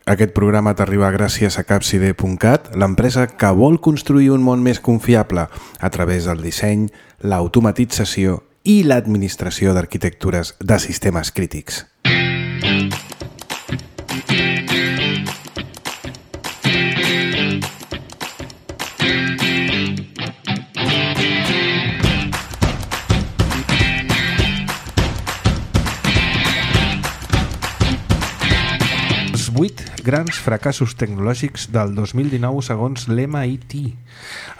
Aquest programa t'arriba gràcies a Capcide.cat, l'empresa que vol construir un món més confiable a través del disseny, l'automatització i l'administració d'arquitectures de sistemes crítics. Els 8 grans fracassos tecnològics del 2019 segons l'MIT.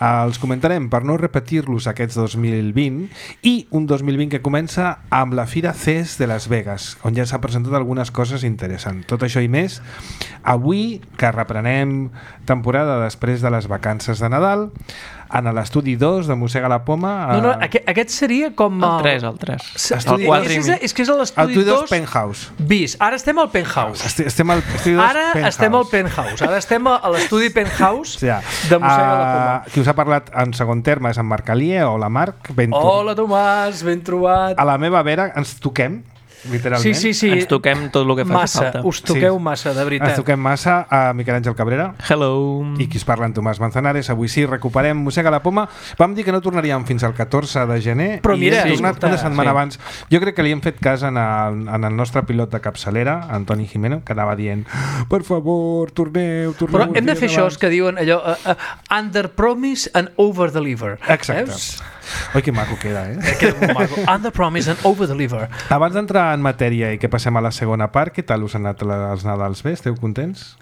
Els comentarem per no repetir-los aquests 2020 i un 2020 que comença amb la Fira CES de Las Vegas, on ja s'ha presentat algunes coses interessants. Tot això i més, avui que reprenem temporada després de les vacances de Nadal, en l'estudi 2 de Mossega la Poma... No, aquest seria com... El 3. El 4 i mig. És que és l'estudi 2 Penthouse. bis. Ara estem al Penthouse. Estem al estudi 2 Ara estem al Penthouse. Ara estem a l'estudi Penthouse ja. de Mossega la Poma. Qui us ha parlat en segon terme és en Marc Alié. Hola Marc, Hola Tomàs, ben trobat. A la meva vera ens toquem, literalment. Sí. Ens toquem tot el que faci falta. Us toqueu massa, de veritat. Ens toquem massa a Miquel Àngel Cabrera. Hello. I qui es parla en Tomàs Manzanares. Avui sí, recuperem Mossega la Poma. Vam dir que no tornaríem fins al 14 de gener. Però mira, i hem tornat una setmana abans. Jo crec que li hem fet cas en el nostre pilot de capçalera, Antoni Jimeno, que anava dient per favor, torneu. Però hem de fer això, que diuen allò under promise and over deliver. Exacte. Oi, que maco queda, Queda molt maco. Under promise and over deliver. Abans d'entrar en matèria i que passem a la segona part, què tal us han anat els Nadals? Bé? Esteu contents?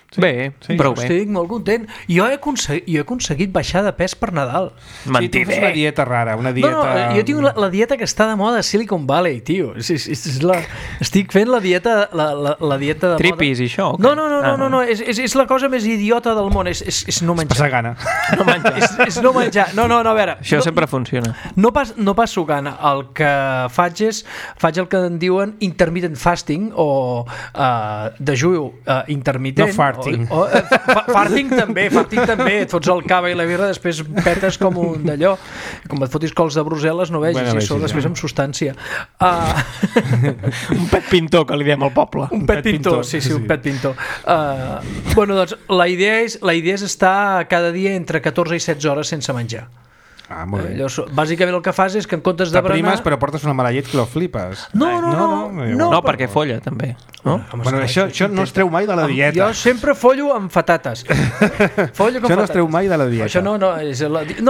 Sí? Bé, sí. prou bé. Estic molt content. Jo he aconseguit baixar de pes per Nadal. Sí, tu fas una dieta rara, una dieta... No, jo tinc la dieta que està de moda a Silicon Valley, tio. Estic fent la dieta de Tripis moda. i això? No, és la cosa més idiota del món, és no menjar. Passar gana. No menjar. És no menjar. No, a veure. Això sempre funciona. No passo gana. El que faig el que en diuen intermittent fasting o dejú intermitent. No farting. Farting també. Et fots el cava i la birra, després petes com un d'allò. Com et fotis cols de Brussel·les, no vegis, i això després amb substància. Un pet pintor, que li diem al poble. Un pet pintor, sí, un pet pintor. Bueno, doncs, la idea és estar cada dia entre 14 i 16 hores sense menjar. Molt bé. Bàsicament el que fas és que en comptes de berenar... però portes una mala llet que lo flipes. No, perquè folla, també. No? Bueno, això no es treu mai de la dieta. Jo sempre follo amb patates. Això no es treu mai de la dieta. Això no,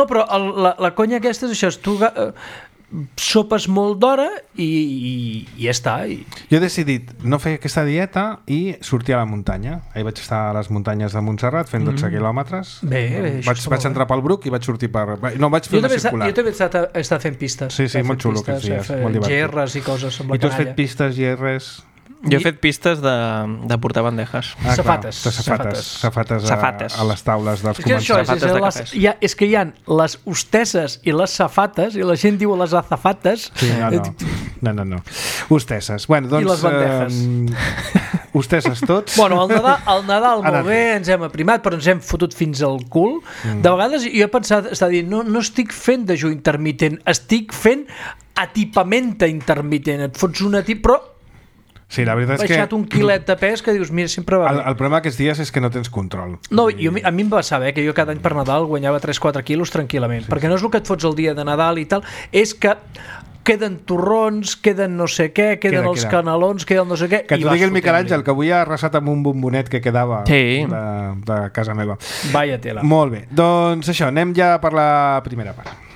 però la conya aquesta és això, tu sopes molt d'hora i ja està. Jo he decidit no fer aquesta dieta i sortir a la muntanya. Ahir vaig estar a les muntanyes de Montserrat fent 12 quilòmetres. Bé, vaig entrar pel Bruc i vaig sortir per... No, vaig fer una circular. Jo també he estat fent pistes. Sí, molt xulo aquests dies, molt divertit. GRs i coses amb la canalla. I tu has fet pistes, GRs... Jo he fet pistes de portar bandejes. Safates. Safates a les taules dels començaments. És que hi ha les hostesses i les safates, i la gent diu les azafates. Sí, no. Hostesses. Bueno, doncs... I les bandejes. Hostesses tots. Bueno, al Nadal molt bé, ens hem aprimat, però ens hem fotut fins al cul. De vegades jo he pensat, està dient, no estic fent dejú intermitent, estic fent atipament intermitent. Et fots un però sí, la veritat és que... baixat un quilet de pes que dius, mira, sempre va bé. El problema aquests dies és que no tens control. No, a mi em va saber que jo cada any per Nadal guanyava 3-4 quilos tranquil·lament, perquè no és el que et fots el dia de Nadal i tal, és que queden torrons, queden no sé què, queden els canelons, queden no sé què... Que t'ho digui el Miquel Àngel, que avui ha arrasat amb un bombonet que quedava de casa meva. Vaya tela. Molt bé, doncs això, anem ja per la primera part.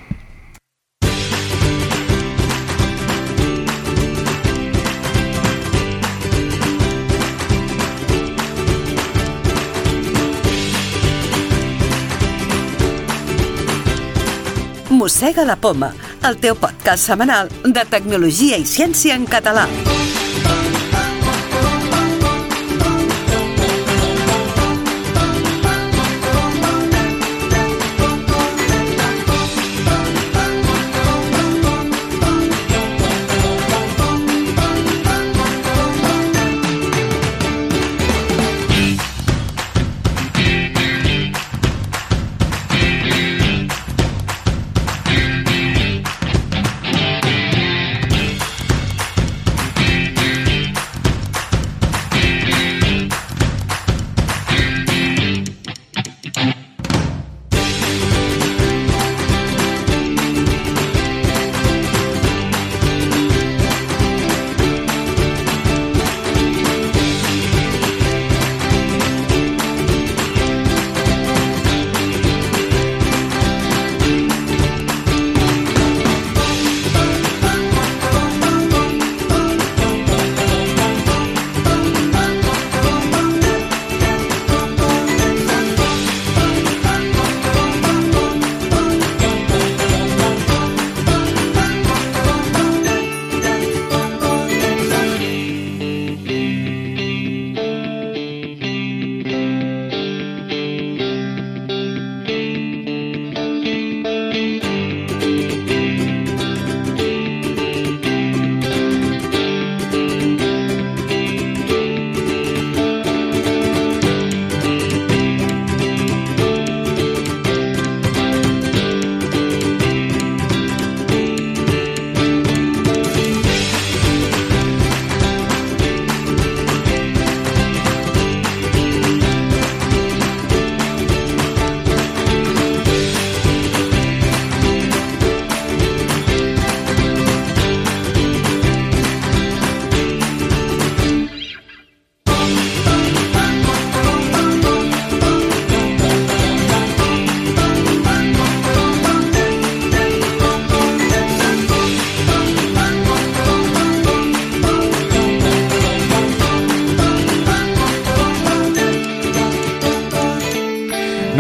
Mossega la Poma, el teu podcast setmanal de tecnologia i ciència en català.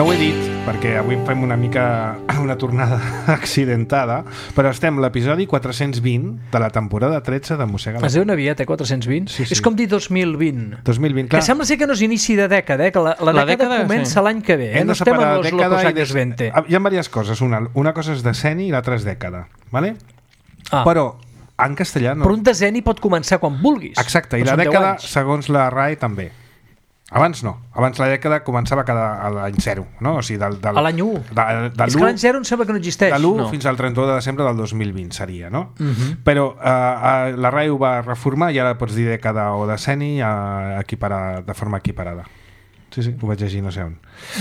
No ho he dit perquè avui fem una mica una tornada accidentada, però estem a l'episodi 420 de la temporada 13 de Mossega la Es diu una aviat, 420? Sí. És com dir 2020. 2020, clar. Que sembla ser que no és inici de dècada, que la dècada comença l'any que ve. Hem No de estem en separar los dècada locos i años 20. Hi ha diverses coses. Una cosa és decenni i l'altra és dècada, ¿vale? Però en castellà no. Però un decenni pot començar quan vulguis. Exacte, i Però la són 10 dècada, anys. segons la RAE, també. Abans no. Abans la dècada començava a l'any 0, no? O sigui, A l'any 1. És que l'any 0 em sembla que no existeix. de l'1 No. fins al 31 de desembre del 2020 seria, no? Però la RAE ho va reformar i ara pots dir dècada o decenni de forma equiparada. Sí, ho vaig llegir no sé on.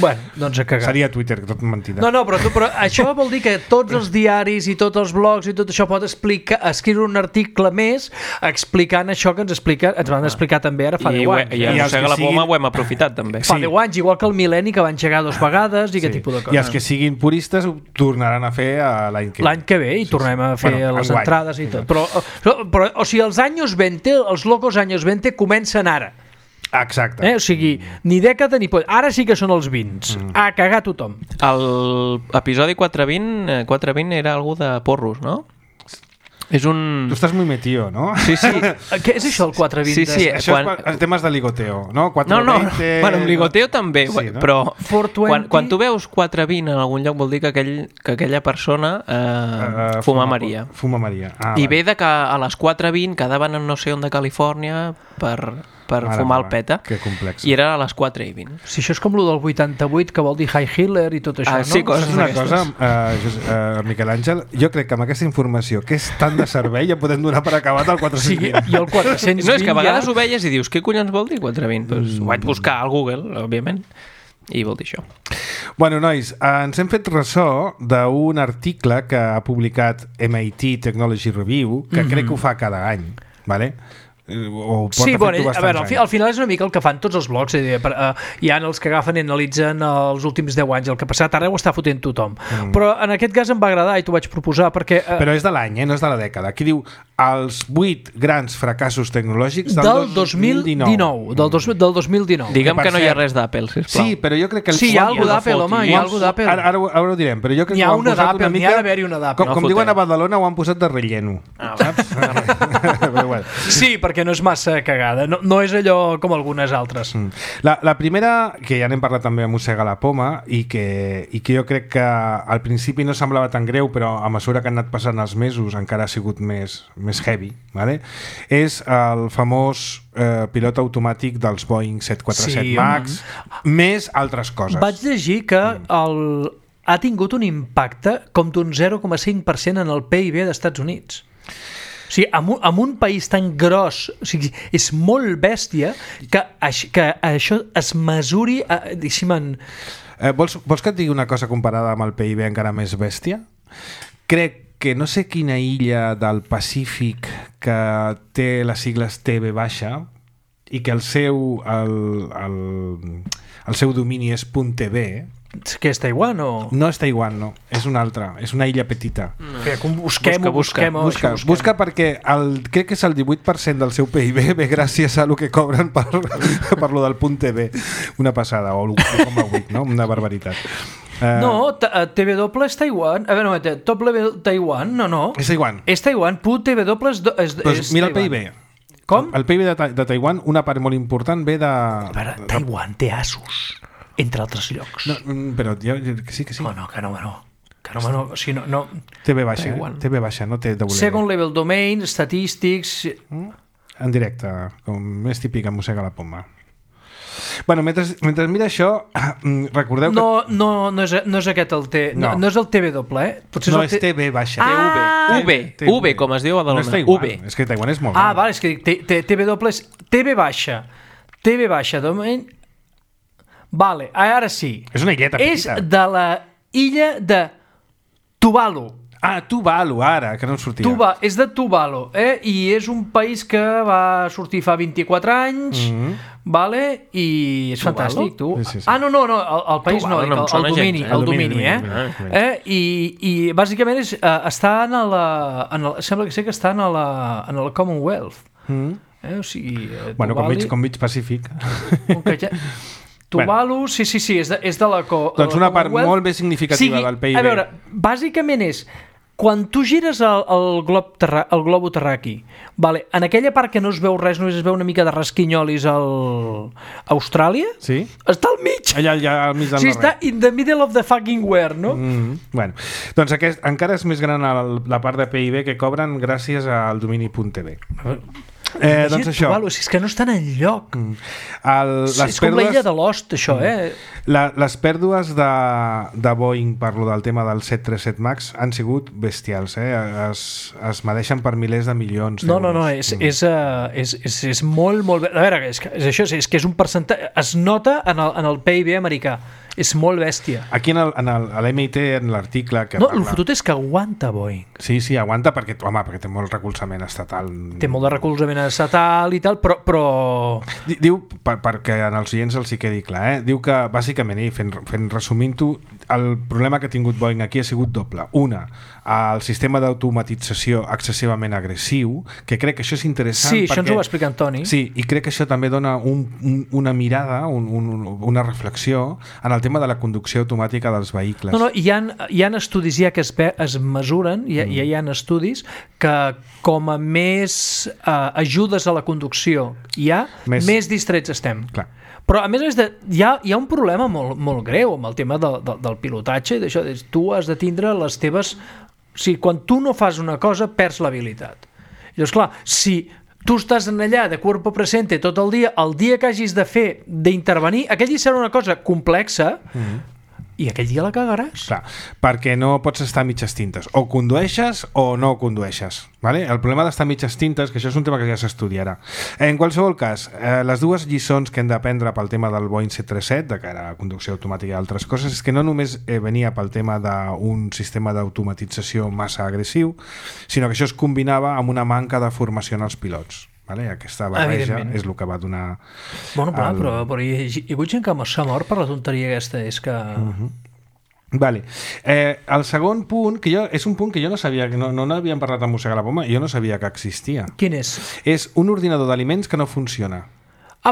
Bueno, doncs a cagar. Seria Twitter, tot mentida. No, però això vol dir que tots els diaris i tots els blogs i tot això pot escriure un article més explicant això que ens van explicar també ara fa 10 anys. I a Mossega la Poma ho hem aprofitat també. Fa 10 anys, igual que el mil·lenni que va engegar 2 vegades i aquest tipus de coses. I els que siguin puristes ho tornaran a fer l'any que ve. L'any que ve i tornem a fer les enguany. entrades i tot. Però, o sigui, els anys 20, els locos anys 20 comencen ara. Exacte. O sigui, ni dècada ni... Ara sí que són els 20. A cagar tothom. L'episodi 420 era algú de porros, no? És un... Tu estàs muy metido, ¿no? Sí. Què és això, el 420? Sí, Això és temes de ligoteo, no? 420... No. Bueno, amb ligoteo també, Sí, no? però 420... quan tu veus 420 en algun lloc vol dir que aquella persona fuma Maria. Fuma Maria. I ve de que a les 4:20 quedaven en no sé on de Califòrnia per fumar el peta. Que complex. I era a les 4:20. Si això és com lo del 88, que vol dir High Hitler i tot això, no? Sí, coses És una d'aquestes. cosa, Miquel Àngel, jo crec que amb aquesta informació, que és tan de servei, ja podem donar per acabat el 420. I el 420 No, és que a vegades ho veies i dius, què collons vol dir 420? Pues ho vaig buscar al Google, òbviament, i vol dir això. Bueno, nois, ens hem fet ressò d'un article que ha publicat MIT Technology Review, que crec que ho fa cada any, ¿vale? O Sí, bueno, a bastants veure, anys. al final és una mica el que fan tots els blogs, hi ha els que agafen i analitzen els últims 10 anys, el que ha passat, ara ho està fotent tothom. Però en aquest cas em va agradar i t'ho vaig proposar perquè... Però és de l'any, no és de la dècada. Aquí diu els 8 grans fracassos tecnològics del 2019. Del 2019. Digue'm per que no hi ha cert- res d'Apple, sisplau. Sí, però jo crec que... Sí, hi ha alguna d'Apple, home, hi ha alguna d'Apple. Ara ho direm, però jo crec N'hi que ha ho han una posat d'Apple, una n'hi mica... ha d'haver-hi una d'Apple. Com No diuen a foteu. Badalona, ho han posat de relleno. Saps? Però bueno. Sí, perquè no és massa cagada, no és allò com algunes altres. La primera, que ja n'hem parlat també a Mossega la Poma i que jo crec que al principi no semblava tan greu, però a mesura que han anat passant els mesos encara ha sigut més heavy, ¿vale? És el famós pilot automàtic dels Boeing 747 Sí, MAX, més altres coses. Vaig llegir que ha tingut un impacte com d'un 0,5% en el PIB d'Estats Units. O sigui, en un país tan gros, o sigui, és molt bèstia que això es mesuri, Vols que et digui una cosa comparada amb el PIB encara més bèstia? Crec que no sé quina illa del Pacífic que té les sigles TB baixa i que el seu domini és .tv. que és Taiwan o... No és Taiwan, no. És una altra. És una illa petita. Busca perquè crec que és el 18% del seu PIB ve gràcies a lo que cobren per lo del .tv. Una passada, o l'1,8, no? Una barbaritat. No, TW és Taiwan. A veure, Taiwan, no. És Taiwan. És Taiwan, TW és mira el Taiwan. PIB. Com? El PIB de Taiwan, una part molt important ve de... A veure, Taiwan té Asus, entre altres llocs. No, però que sí. No, que no. O sigui, no. TV baixa, TV baixa, no té doble. Second level domain, statistics... En directe, com més típic en Mossega la Poma. Bueno, mentre mira això, recordeu que... No és aquest el T... No és el TW, Potser no, és TV baixa. V, com es diu a Badalona. No és Taiwan, és que Taiwan és molt gran. Vale, és que TW és TV baixa, domain... Vale, ara sí. És una illeta petita. És de la illa de Tuvalu. Tuvalu, ara, que no en sortia. És de Tuvalu, i és un país que va sortir fa 24 anys, vale? I és fantàstic, tu. Sí. No, el país Tuvalu, no, el domini, I bàsicament està sembla que sé que està en la Commonwealth. O sigui, Bueno, com mig Pacífic. Tuvalu, sí, és de la Doncs una part molt més significativa del PIB. A veure, bàsicament és quan tu gires el globo terraqui, vale, en aquella part que no es veu res, només es veu una mica de rasquinyolis a Austràlia, sí? Està al mig. Allà al mig del està in the middle of the fucking where, no? Bueno, doncs encara és més gran la part de PIB que cobren gràcies al domini .tv. Doncs això. Tuvalu, és que no estan enlloc. És com l'illa de Lost, això, Les pèrdues de Boeing, parlo del tema del 737 MAX, han sigut bestials, es medeixen per milers de milions d'euros. No, és molt... A veure, és això, és que és un percentatge... Es nota en el PIB americà. És molt bèstia. Aquí a l'MIT, en l'article... El fotut és que aguanta Boeing. Sí, aguanta perquè té molt recolzament estatal. Té molt de recolzament estatal i tal, però... Diu, perquè en els oients els hi quedi clar, diu que, bàsicament, fent resumint-ho, el problema que ha tingut Boeing aquí ha sigut doble. Una, el sistema d'automatització excessivament agressiu, que crec que això és interessant. Sí, això ens ho va explicar Antoni. Sí, i crec que això també dona una mirada, una reflexió en el tema de la conducció automàtica dels vehicles. No, hi ha estudis ja que es mesuren, ja hi ha estudis que com a més ajudes a la conducció hi ha, més distrets estem. Clar. Però a més hi ha un problema molt greu amb el tema del pilotatge i d'això, tu has de tindre les teves... O sigui, quan tu no fas una cosa, perds l'habilitat. Llavors, clar, si tu estàs allà de cuerpo presente tot el dia que hagis de fer, d'intervenir, aquell dia serà una cosa complexa i aquell dia la cagaràs. Clar, perquè no pots estar a mitges tintes. O condueixes o no condueixes. Vale? El problema d'estar a mitges tintes, que això és un tema que ja s'estudiarà. En qualsevol cas, les dues lliçons que hem d'aprendre pel tema del Boeing 737, de cara a conducció automàtica i altres coses, és que no només venia pel tema d'un sistema d'automatització massa agressiu, sinó que això es combinava amb una manca de formació en els pilots. Vale? Aquesta barreja és el que va donar... Bueno, però hi ha hagut gent que s'ha mort per la tonteria aquesta, és que... Vale. El segon punt, és un punt que jo no sabia, que no n'havíem parlat amb Mossega la Poma, jo no sabia que existia. Quin és? És un ordinador d'aliments que no funciona.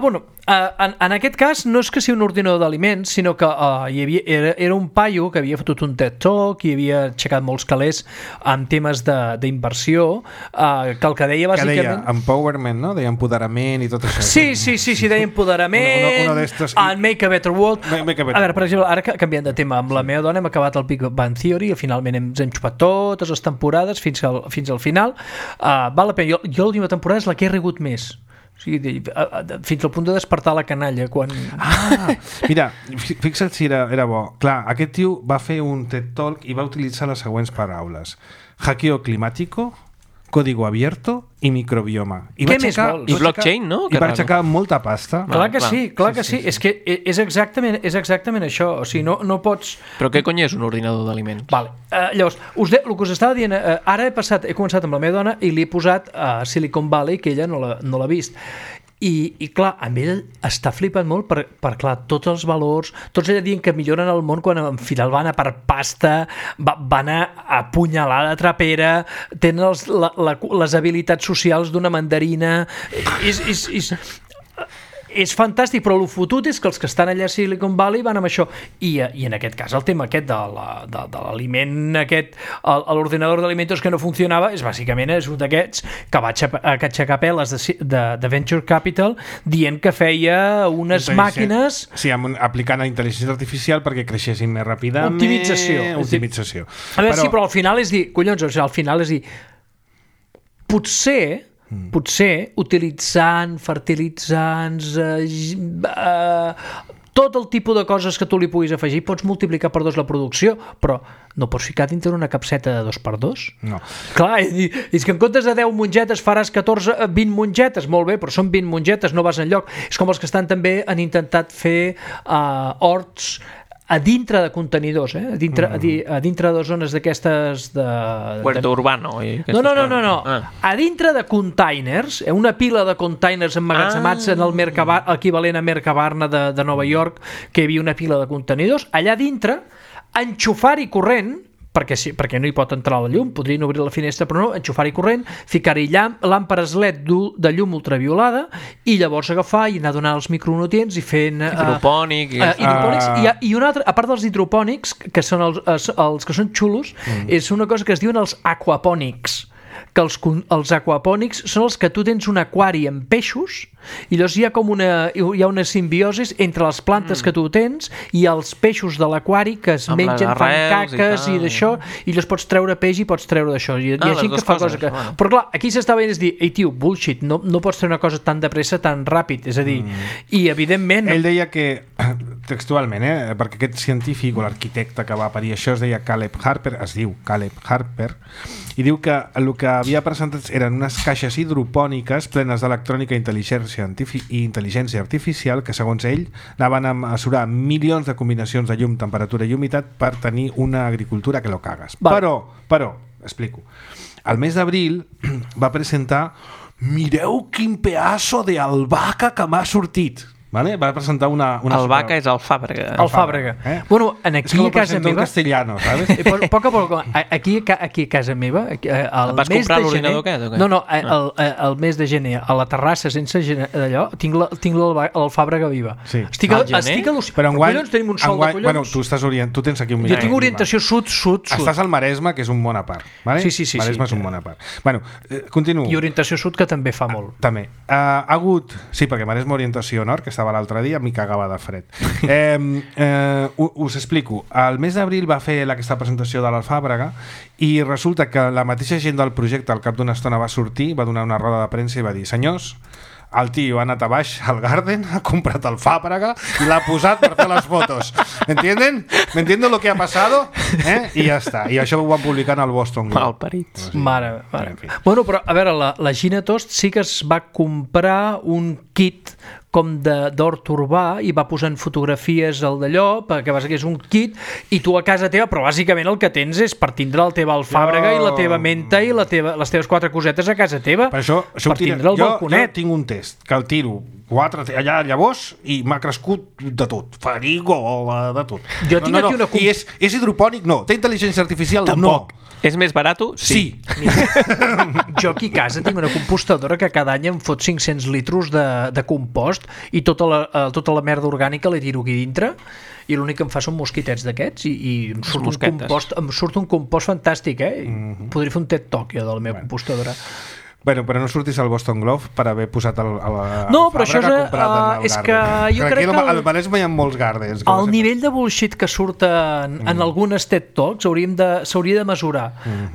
Bueno, en aquest cas no és que sigui un ordinador d'aliments, sinó que era un paio que havia fotut un TED Talk i havia aixecat molts calés en temes d'inversió, que el que deia bàsicament... Que deia empowerment, no? Deia empoderament i tot això. Sí, deia empoderament, and make a better world. A veure, per exemple, ara canviant de tema, amb la meva dona hem acabat el Big Bang Theory i finalment ens hem xupat totes les temporades fins al final. Val la pena. Jo l'última temporada és la que he rigut més. O sigui, fins al punt de despertar la canalla quan... Mira, fixa't si era bo. Clar, aquest tio va fer un TED Talk i va utilitzar les següents paraules: hackeo climático, código abierto i microbioma. Què més vols? I blockchain, no? I va aixecar molta pasta. Clar que sí. És que és exactament això. O sigui, no pots... Però què cony és un ordinador d'aliments? Vale. Llavors, el que us estava dient, ara he començat amb la meva dona i li he posat a Silicon Valley, que ella no l'ha vist. I clar, amb ell està flipant molt per clar, tots els valors, tots ella dient que milloren el món quan en final van a per pasta, van a apunyalar la trapera, tenen les habilitats socials d'una mandarina, és fantàstic, però el fotut és que els que estan allà a Silicon Valley van amb això. I en aquest cas el tema aquest de l'aliment aquest, l'ordinador d'aliments que no funcionava, és bàsicament un d'aquests que va aixecar peles de Venture Capital dient que feia unes màquines... Sí, aplicant la intel·ligència artificial perquè creixessin més ràpidament. Optimització. A veure, sí, però al final és dir, potser utilitzant fertilitzants, tot el tipus de coses que tu li puguis afegir, pots multiplicar per 2 la producció, però no pots ficar dintre una capseta de 2x2? No. Clar, és que en comptes de 10 mongetes faràs 20 mongetes, molt bé, però són 20 mongetes, no vas enlloc. És com els que estan també han intentat fer horts a dintre de contenidors, a dintre de zones d'aquestes de... Huerto urbano. No. A dintre de containers, una pila de containers emmagatzemats en el equivalent a Mercabarna de Nova York, que hi havia una pila de contenidors, allà dintre, enxufar-hi corrent perquè no hi pot entrar la llum, podrien obrir la finestra però no, enxufar-hi corrent, ficar-hi làmperes LED de llum ultraviolada i llavors agafar i anar donant els micronutrients i fent... hidropònic... hidropònics. I una altra, a part dels hidropònics, que són els que són xulos, és una cosa que es diuen els aquapònics, que els aquapònics són els que tu tens un aquari amb peixos i llavors hi ha una simbiosi entre les plantes que tu tens i els peixos de l'aquari que es mengen, fan caques i d'això, i llavors pots treure peix i pots treure d'això. Hi ha gent que fa coses que... Però clar, aquí s'està veient és dir, ei tio, bullshit, no pots fer una cosa tan de pressa, tan ràpid, és a dir, i evidentment... Ell deia que, textualment, perquè aquest científic o l'arquitecte que va parir això es deia Caleb Harper, i diu que el que havia presentat eren unes caixes hidropòniques plenes d'electrònica i intel·ligència artificial que, segons ell, anaven a mesurar milions de combinacions de llum, temperatura i humitat per tenir una agricultura que lo cagues. Vale. Però, explico. Al mes d'abril va presentar mireu quin pedaço de albahaca que m'ha sortit. Vale? Va presentar una Albahaca és Alfàbrega. Alfàbrega. Bueno, aquí a casa meva... Es castellano, ¿sabes? Poc a poc. Aquí a casa meva... Vas comprar l'ordinador aquest o què? No, el mes de gener, a la terrassa sense d'allò, tinc l'Alfàbrega viva. Sí. Estic al·lucinat. Però enguany... tenim un sol de collons. Bueno, tu tens aquí un... Jo tinc orientació sud. Estàs al Maresme, que és un món a part. Vale? Sí. Maresme és un món a part. Bueno, continuo. I orientació sud, que també fa molt. També. Ha hagut... Sí, perquè Maresme orientació nord, que estava l'altre dia, m'hi cagava de fred. Us explico. Al mes d'abril va fer aquesta presentació de l'Alfàbrega i resulta que la mateixa gent del projecte al cap d'una estona va sortir, va donar una roda de premsa i va dir: senyors, el tio ha anat a baix al Garden, ha comprat el Fàbrega i l'ha posat per fer les fotos. ¿Entienden? ¿Entienden lo que ha pasado? I ja està. I això ho van publicar en el Boston Globe. Malparits. Mare. Bueno, però, a veure, la Gina Tost sí que es va comprar un kit com d'hort urbà i va posant fotografies al d'allò, perquè bàsicament és un kit i tu a casa teva, però bàsicament el que tens és per tindre la teva alfàbrega i la teva menta i les teves 4 cosetes a casa teva, per això per tindre el balconet. Jo tinc un test que el tiro 4 allà llavors i m'ha crescut de tot, farigola, de tot. Jo tinc aquí una... I és hidropònic? No. Té intel·ligència artificial? Tampoc. No. És més barat? Sí. Jo aquí a casa tinc una compostadora que cada any em fot 500 litros de compost i tota la merda orgànica la tiro aquí dintre i l'únic que em fa són mosquitets d'aquests i em surt un compost fantàstic, Podria fer un TED Talk jo de la meva compostadora. Bueno, però no surtis al Boston Globe per haver posat no, però això és que jo crec que al Maresme hi ha molts Gardens. El nivell de bullshit que surt en algunes TED Talks s'hauria de mesurar,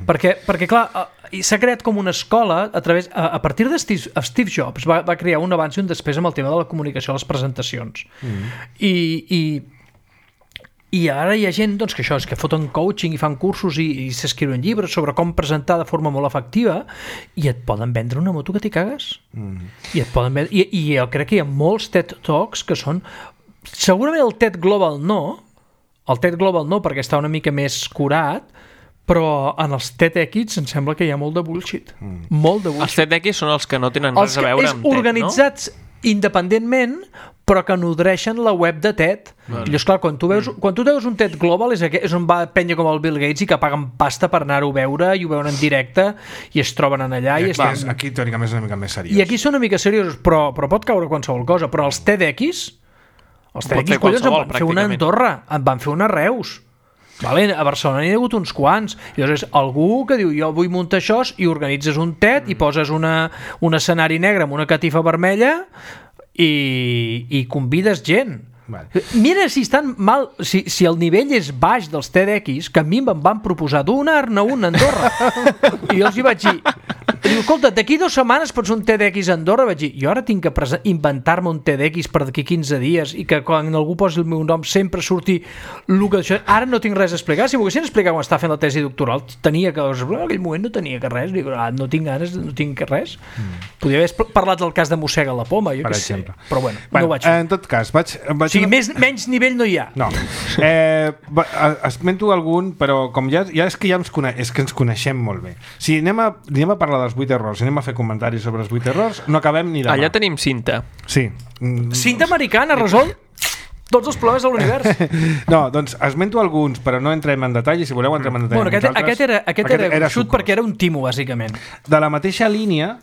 perquè clar, s'ha creat com una escola a partir de Steve Jobs va crear un abans i un després amb el tema de la comunicació a les presentacions i ara hi ha gent doncs, que això és que foten coaching i fan cursos i s'escriuen llibres sobre com presentar de forma molt efectiva i et poden vendre una moto que t'hi cagues i jo crec que hi ha molts TED Talks que són segurament el TED Global no perquè està una mica més curat, però en els TEDx em sembla que hi ha molt de bullshit. Molt de bullshit. Els TEDx són els que no tenen res a veure amb TED, organitzats independentment però que nodreixen la web de TED. I llavors, clar, quan tu veus un TED Global és on va penya com el Bill Gates i que paguen pasta per anar-ho a veure i ho veuen en directe i es troben en allà. Aquí teòricament és una mica més seriós. I aquí són una mica seriosos, però pot caure qualsevol cosa. Però els TEDx, collons, en van fer una a Andorra, en van fer una a Reus. Vale, a Barcelona n'hi ha hagut uns quants. Llavors és algú que diu jo vull muntar això i organitzes un TED i poses un escenari negre amb una catifa vermella i convides gent. Vale. Mira si estan mal, si el nivell és baix dels TEDx, que a mi em van proposar donar-ne un a Andorra i jo els hi vaig dir, escolta, d'aquí 2 setmanes pots un TEDx a Andorra. Vaig dir, jo ara tinc que inventar-me un TEDx per d'aquí 15 dies i que quan algú posi el meu nom sempre surti el que això. Ara no tinc res a explicar. Si m'ho haguessin explicat quan estava fent la tesi doctoral, tenia que, en aquell moment no tenia que res. Dic, no tinc ganes, no tinc que res. Podria haver parlat del cas de Mossega la Poma, jo què sé. Però bueno, no ho vaig fer. En tot cas, vaig o sigui, menys nivell no hi ha. No. Esmento algun, però com ja és que ens coneixem molt bé. Si anem a parlar dels 8 errors, si anem a fer comentaris sobre els 8 errors, no acabem ni demà. Allà tenim cinta. Sí. Cinta americana, resol? tots els problemes de l'univers. No, doncs esmento alguns, però no entrem en detall, i si voleu entrem en detall. Bueno, aquest era gruixut perquè era un timo, bàsicament. De la mateixa línia,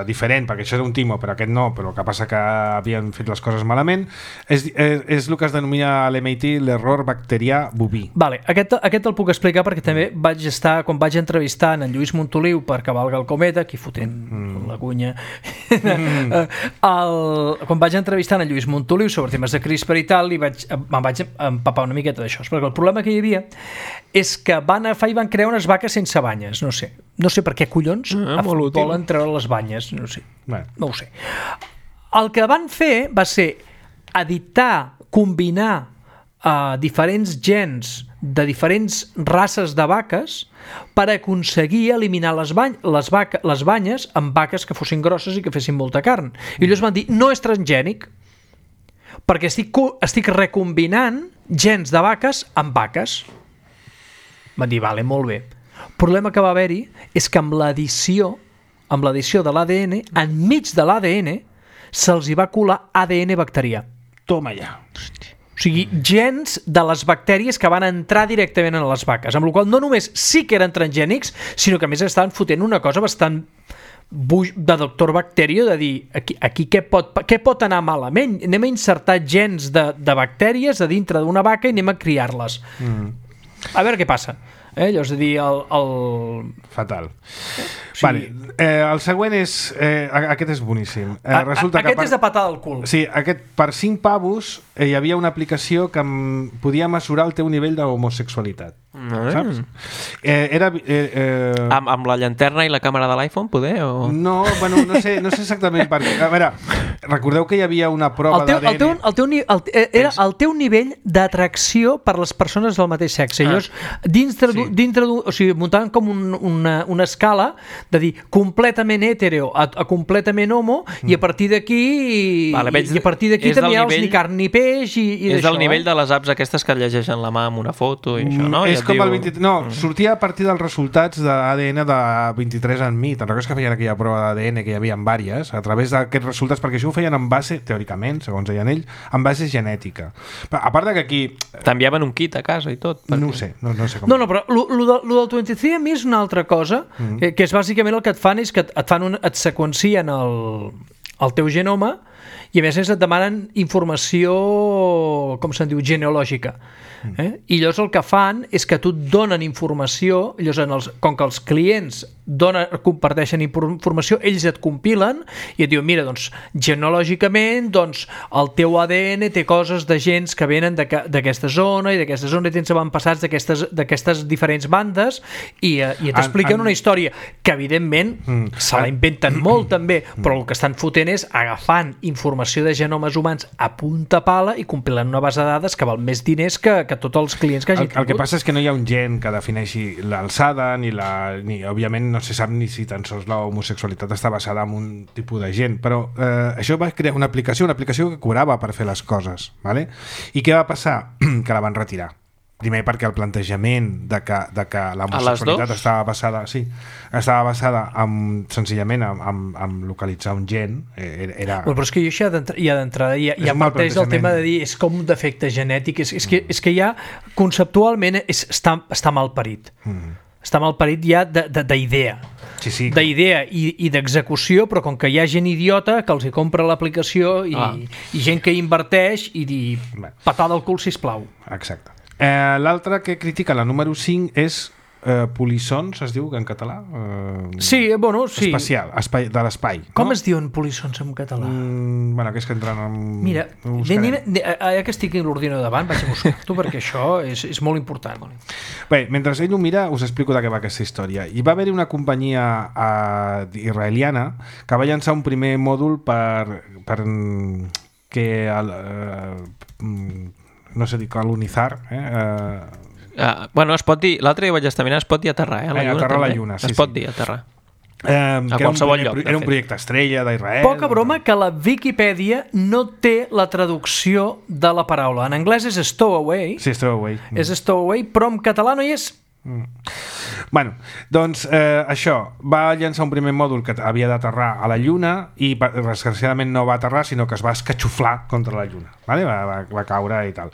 diferent, perquè això era un timo, però aquest no, però el que passa que havien fet les coses malament, és el que es denomina a l'MIT l'error bacterià boví. Vale, aquest el puc explicar perquè també vaig estar, quan vaig entrevistar en Lluís Montoliu per Cavalga el Cometa, aquí fotent la cunya, quan vaig entrevistar en Lluís Montoliu sobre temes de CRISPR i tal, me'n vaig empapar una miqueta d'això, perquè el problema que hi havia és que van agafar i van crear unes vaques sense banyes, no sé per què collons volen treure les banyes, no ho sé. El que van fer va ser editar, combinar diferents gens de diferents races de vaques per aconseguir eliminar les banyes amb vaques que fossin grosses i que fessin molta carn. I llavors van dir, no és transgènic, perquè estic recombinant gens de vaques amb vaques. Van dir, vale, molt bé. El problema que va haver-hi és que amb l'edició de l'ADN, enmig de l'ADN, se'ls hi va colar ADN bacterià. Toma ja. O sigui, gens de les bactèries que van entrar directament en les vaques, amb la qual cosa no només sí que eren transgènics, sinó que a més estaven fotent una cosa bastant de doctor Bacterio, de dir, aquí què pot anar malament? Anem a insertar gens de bactèries a dintre d'una vaca i anem a criar-les. A veure què passa. Llavors, a dir, fatal. Sí. Vale. El següent és... aquest és boníssim. Aquest és de patada al cul. Sí, aquest, per 5 pavos hi havia una aplicació que podia mesurar el teu nivell d'homosexualitat. Saps? Amb la llanterna i la càmera de l'iPhone, poder? O... No, bueno, no sé exactament per què. A veure, recordeu que hi havia una prova d'ADN... Era el teu nivell d'atracció per les persones del mateix sexe. Llavors, o sigui, muntaven com una escala de dir completament hetero a completament homo, i a partir d'aquí també hi ha ni carn ni peix i és del nivell de les apps aquestes que llegeixen la mà amb una foto i això, no? És com el 23... No, sortia a partir dels resultats d'ADN de 23andMe. Te'n recordes que feien aquella prova d'ADN que hi havia en vàries, a través d'aquests resultats, perquè això ho feien en base, teòricament, segons deien ells, en base genètica. A part de que aquí... T'enviaven un kit a casa i tot. No ho sé, no sé com... No, però lo del 23andMe és una altra cosa, que és bàsicament el que et fan és que et seqüencien el teu genoma i a més et demanen informació, com se'n diu, genealògica. I llavors el que fan és que tu et donen informació, llavors com que els clients comparteixen informació, ells et compilen i et diuen, mira, doncs genealògicament doncs el teu ADN té coses de gens que venen d'aquesta zona i d'aquesta zona i tens avantpassats d'aquestes diferents bandes i t'expliquen una història que evidentment se la inventen molt també, però el que estan fotent és agafant informació de genomes humans a punta pala i compilant una base de dades que val més diners que tots els clients que hagin tingut. El que passa és que no hi ha un gen que defineixi l'alçada ni òbviament no se sap ni si tan sols la homosexualitat està basada en un tipus de gent, però això va crear una aplicació que cobrava per fer les coses, ¿vale? I què va passar? Que la van retirar. Primer perquè el plantejament de que la homosexualitat estava basada senzillament en localitzar un gen era... Però és que jo ja d'entrada ja parteix del tema de dir és com un defecte genètic, és que ja conceptualment està mal parit. Està mal parit ja d'idea. Sí. D'idea i d'execució, però com que hi ha gent idiota que els hi compra l'aplicació i gent que inverteix i dir patada al cul, sisplau. Exacte. L'altre que critica, la número 5, és polissons, es diu en català? Sí, bueno, sí. Espacial, de l'espai. Com es diuen polissons en català? Bueno, que és que entren en... Mira, ja que estic a l'ordinador davant, vaig a buscar-t'ho perquè això és molt important. Bé, mentre ell ho mira, us explico de què va aquesta història. Hi va haver-hi una companyia israeliana que va llançar un primer mòdul per que no sé dir, colonitzar bueno, es pot dir, l'altre dia vaig estar mirant, es pot dir aterrar, aterrar la Lluna, sí. Es pot dir aterrar. A qualsevol lloc. Era un projecte estrella d'Israel. Poca broma que la Viquipèdia no té la traducció de la paraula. En anglès és stowaway. Sí, stowaway. És stowaway, però en català no hi és Bueno, doncs això, va llançar un primer mòdul que havia d'aterrar a la Lluna i desgraciadament no va aterrar, sinó que es va escatxoflar contra la Lluna, vale? va caure i tal.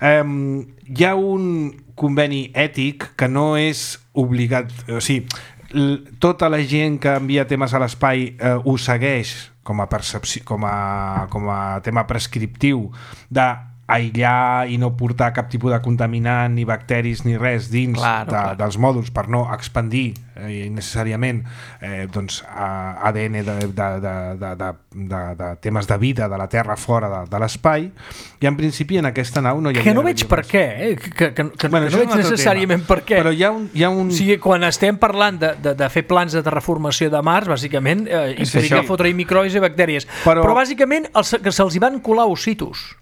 Hi ha un conveni ètic que no és obligat, o sigui, tota la gent que envia temes a l'espai ho segueix com a percepció, com a tema prescriptiu de aïllar i no portar cap tipus de contaminant ni bacteris ni res dins dels mòduls per no expandir innecessàriament doncs, ADN de temes de vida de la Terra fora de l'espai, i en principi en aquesta nau no hi havia... Que no veig per què, que no veig necessàriament per què. Però hi ha un... O sigui, quan estem parlant de fer plans de terraformació de Mars, bàsicament implica fotre-hi microbis i bactèries. Però bàsicament que se'ls hi van colar ositos.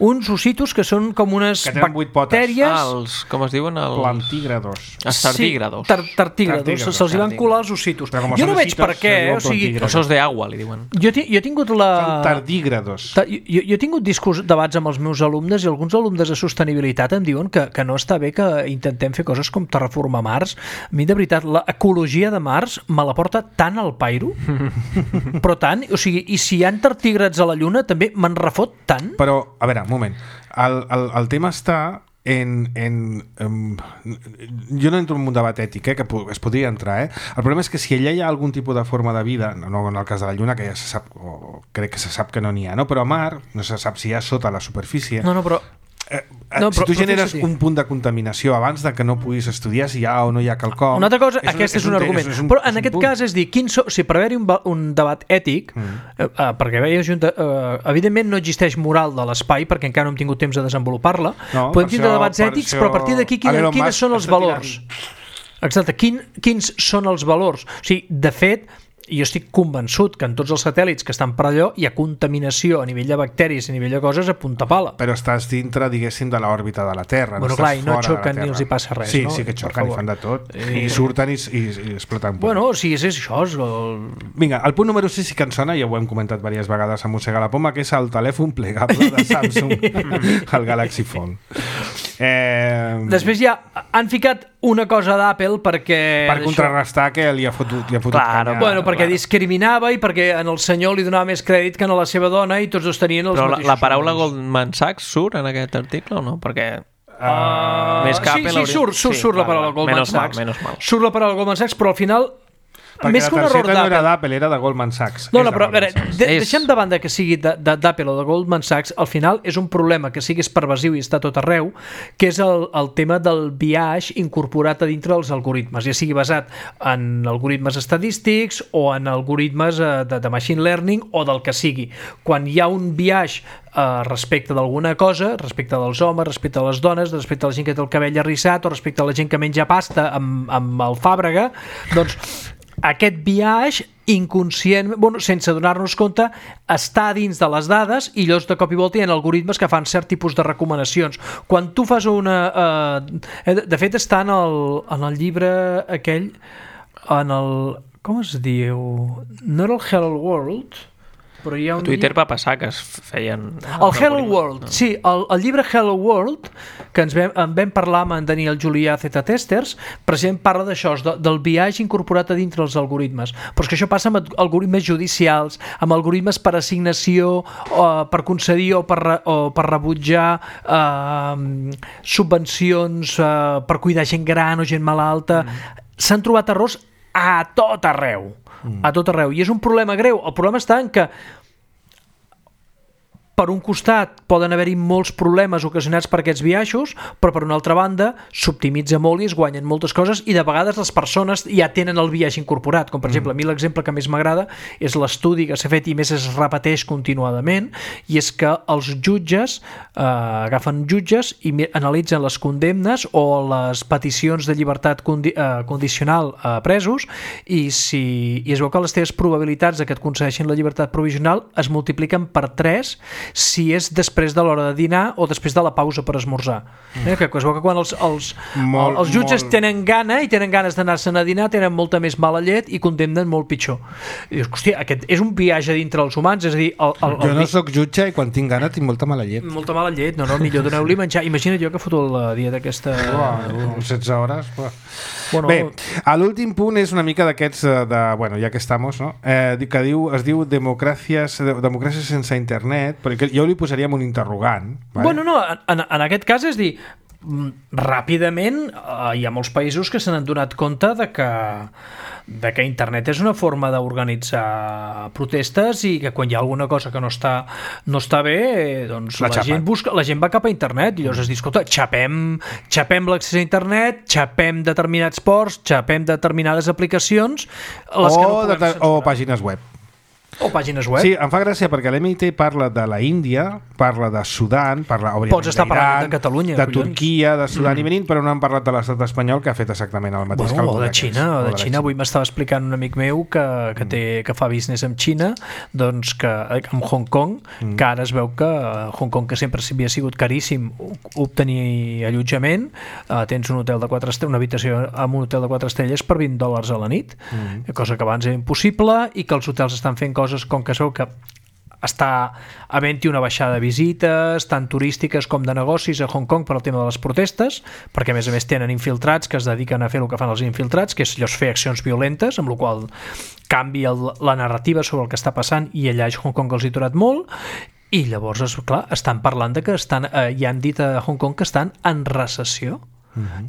Uns ositos que són com unes bactèries... com es diuen? Plantígrados. Els tardígrados. Tartígrados. Se'ls hi van colar els ositos. Jo no veig per què. Ossos de agua, li diuen. Jo he tingut Són tardígrados. Jo he tingut debats amb els meus alumnes i alguns alumnes de sostenibilitat em diuen que no està bé que intentem fer coses com terraformar Mars. A mi, de veritat, l'ecologia de Mars me la porta tant al pairo, però tant, o sigui, i si hi ha tardígrads a la Lluna també me'n refot tant. Però, a veure, un moment. El tema està jo no entro en un debat ètic, que es podria entrar, El problema és que si allà hi ha algun tipus de forma de vida, no en el cas de la Lluna, que ja se sap, o crec que se sap que no n'hi ha, no? Però a Mar no se sap si hi ha sota la superfície. Si tu generes un punt de contaminació abans de que no puguis estudiar si hi ha o no hi ha quelcom... Una altra cosa, aquest és un argument. Però en aquest cas és dir, per haver-hi un debat ètic, perquè evidentment no existeix moral de l'espai, perquè encara no hem tingut temps de desenvolupar-la, podem tindre debats ètics, però a partir d'aquí quins són els valors? Exacte, quins són els valors? O sigui, de fet, jo estic convençut que en tots els satèl·lits que estan per allò hi ha contaminació a nivell de bacteris, a nivell de coses a punta pala. Però estàs dintre, diguéssim, de l'òrbita de la Terra. Bueno, clar, i no xoquen ni els hi passa res, no? Sí que xoquen i fan de tot. I surten i exploten. Bueno, sí, és això. Vinga, el punt número 6 sí que ens sona, ja ho hem comentat diverses vegades a Mossega la Poma, que és el telèfon plegable de Samsung, el Galaxy Fold. Després ja han ficat una cosa d'Apple perquè... Per contrarrestar que li ha fotut canya. Bueno, perquè discriminava i perquè al senyor li donava més crèdit que a la seva dona i tots dos tenien els mateixos... Però la paraula Goldman Sachs surt en aquest article o no? Perquè... més que Apple... Sí, surt la paraula Goldman Sachs. Surt la paraula Goldman Sachs, però al final... Perquè més que la targeta no era d'Apple, era de Goldman Sachs. No, però a veure, deixem de banda que sigui d'Apple o de Goldman Sachs, al final és un problema que siguis pervasiu i està tot arreu, que és el tema del biaix incorporat a dintre dels algoritmes, ja sigui basat en algoritmes estadístics o en algoritmes de machine learning o del que sigui. Quan hi ha un biaix respecte d'alguna cosa, respecte dels homes, respecte a les dones, respecte a la gent que té el cabell arrissat o respecte a la gent que menja pasta amb alfàbrega, doncs aquest biaix inconscient, sense donar-nos compte, està dins de les dades i llavors de cop i volta hi ha algoritmes que fan cert tipus de recomanacions. Quan tu fas una... de fet està en el llibre aquell, en el... com es diu? No era el Hello World... Però hi ha a Twitter va passar que es feien... El Hello World, sí, el llibre Hello World, que en vam parlar amb en Daniel Julià Z-Testers, precisament parla d'això, del biaix incorporat a dintre els algoritmes. Però és que això passa amb algoritmes judicials, amb algoritmes per assignació, per concedir o per rebutjar subvencions per cuidar gent gran o gent malalta. S'han trobat errors a tot arreu. A tot arreu. I és un problema greu. El problema està en que per un costat poden haver-hi molts problemes ocasionats per aquests biaixos, però per una altra banda s'optimitza molt i es guanyen moltes coses i de vegades les persones ja tenen el biaix incorporat, com per exemple a mi l'exemple que més m'agrada és l'estudi que s'ha fet i més es repeteix continuadament, i és que els jutges agafen jutges i analitzen les condemnes o les peticions de llibertat condicional a presos i es veu que les teves probabilitats de que et concedeixin la llibertat provisional es multipliquen per 3 si és després de l'hora de dinar o després de la pausa per esmorzar. Que es veu que quan els jutges tenen gana i tenen ganes d'anar-se'n a dinar, tenen molta més mala llet i condemnen molt pitjor. I dius, hòstia, aquest és un viatge dintre els humans, és a dir... Jo no sóc jutge i quan tinc gana tinc molta mala llet. Molta mala llet, no, millor doneu-li menjar. Imagina't jo que foto la dieta aquesta... 16 hores... Bueno, bé, l'últim punt és una mica d'aquests bueno, ja que estamos, no? Que es diu democràcia sense internet, perquè jo li posaríem un interrogant. Vale? Bueno, no, en aquest cas és dir, ràpidament hi ha molts països que se n'han donat compte de que internet és una forma d'organitzar protestes i que quan hi ha alguna cosa que no està bé, doncs la gent va cap a internet i llavors es diu, escolta, xapem l'accés a internet, xapem determinats ports, xapem determinades aplicacions o pàgines web. O pàgines web. Sí, em fa gràcia perquè l'MIT parla de la Índia, parla de Sudan, parla pots estar parlant de Catalunya, de Turquia, de Sudan i Benín, però no han parlat de l'estat espanyol, que ha fet exactament el mateix. O de Xina. Avui m'estava explicant un amic meu que fa business amb Xina, doncs amb Hong Kong, que ara es veu que Hong Kong, que sempre havia sigut caríssim obtenir allotjament, tens un hotel de 4 estrelles, una habitació amb un hotel de 4 estrelles per $20 a la nit, cosa que abans era impossible, i que els hotels estan fent coses com que es veu que està havent-hi una baixada de visites tant turístiques com de negocis a Hong Kong per al tema de les protestes, perquè a més tenen infiltrats que es dediquen a fer el que fan els infiltrats, que és llavors fer accions violentes, amb la qual canvia la narrativa sobre el que està passant, i allà a Hong Kong els hi ha durat molt. I llavors, clar, estan parlant de que hi han dit a Hong Kong que estan en recessió.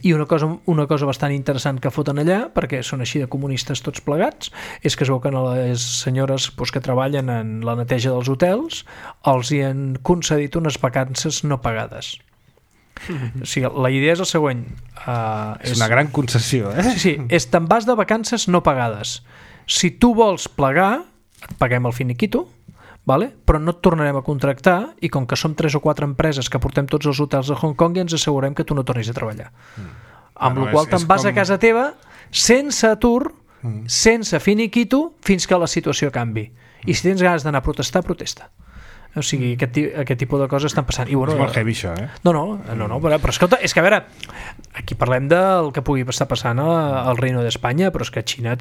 I una cosa bastant interessant que foten allà, perquè són així de comunistes tots plegats, és que es veu que les senyores que treballen en la neteja dels hotels els hi han concedit unes vacances no pagades. O sigui, la idea és el següent. És una gran concessió, Sí, te'n vas de vacances no pagades. Si tu vols plegar, et paguem el finiquito, vale? Però no et tornarem a contractar, i com que som 3 o 4 empreses que portem tots els hotels de Hong Kong, ja ens assegurem que tu no tornis a treballar. Amb la qual te'n vas a casa teva sense atur, sense finiquito, fins que la situació canvi. I si tens ganes d'anar a protestar, protesta. O sigui, aquest tipus de coses estan passant. I, bueno, és molt heavy això, No, però escolta, és que a veure, aquí parlem del que pugui estar passant al Reino d'Espanya, però és que a Xina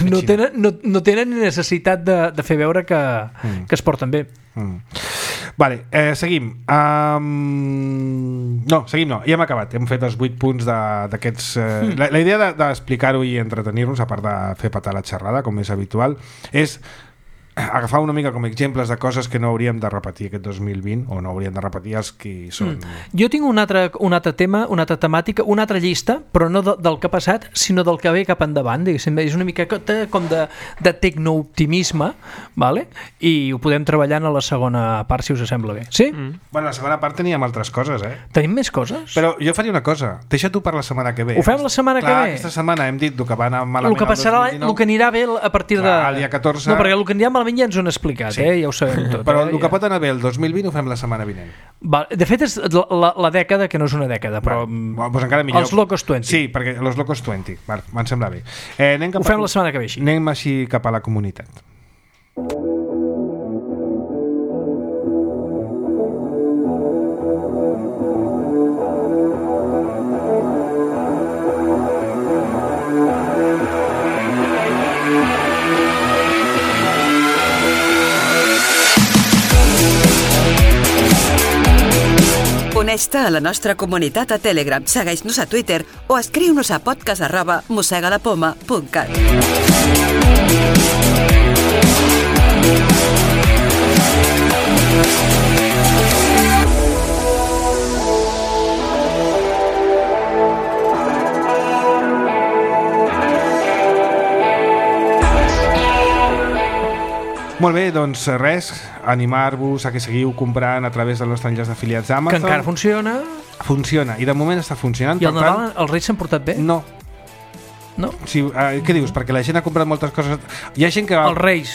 no tenen necessitat de fer veure que es porten bé. Vale, seguim. Seguim no, ja hem acabat. Hem fet els 8 punts d'aquests... La idea d'explicar-ho i entretenir-nos, a part de fer patar la xerrada, com és habitual, és agafar una mica com exemples de coses que no hauríem de repetir aquest 2020, o no hauríem de repetir els que són. Jo tinc un altre tema, una altra temàtica, una altra llista, però no del que ha passat, sinó del que ve cap endavant. És una mica com de tecnooptimisme, vale? I ho podem treballar en la segona part, si us sembla bé. Sí? Bueno, la segona part teníem altres coses, Tenim més coses? Però jo faria una cosa, deixa tu per la setmana que ve. Ho fem la setmana que ve? Aquesta setmana hem dit que va anar malament el que passarà, el que anirà bé a partir de... El dia 14... No, perquè el que anirà malament ja ens ho han explicat, ja ho sabem tot. Però el que pot anar bé el 2020 ho fem la setmana vinent. De fet, és la dècada, que no és una dècada, però doncs encara millor. Els Locos 20. Sí, perquè els Locos 20, me'n sembla bé. Ho fem la setmana que ve així. Anem així cap a la comunitat. Uneix-te a la nostra comunitat a Telegram, segueix-nos a Twitter o escriu-nos a podcast@mosegalapoma.cat. Molt bé, doncs res, animar-vos a que seguiu comprant a través del nostre enllaç d'afiliats d'Amazon. Que encara funciona. Funciona, i de moment està funcionant. I el Nadal, els Reis s'han portat bé? No. No? Sí, què dius? Perquè la gent ha comprat moltes coses. Hi ha gent que... Els Reis.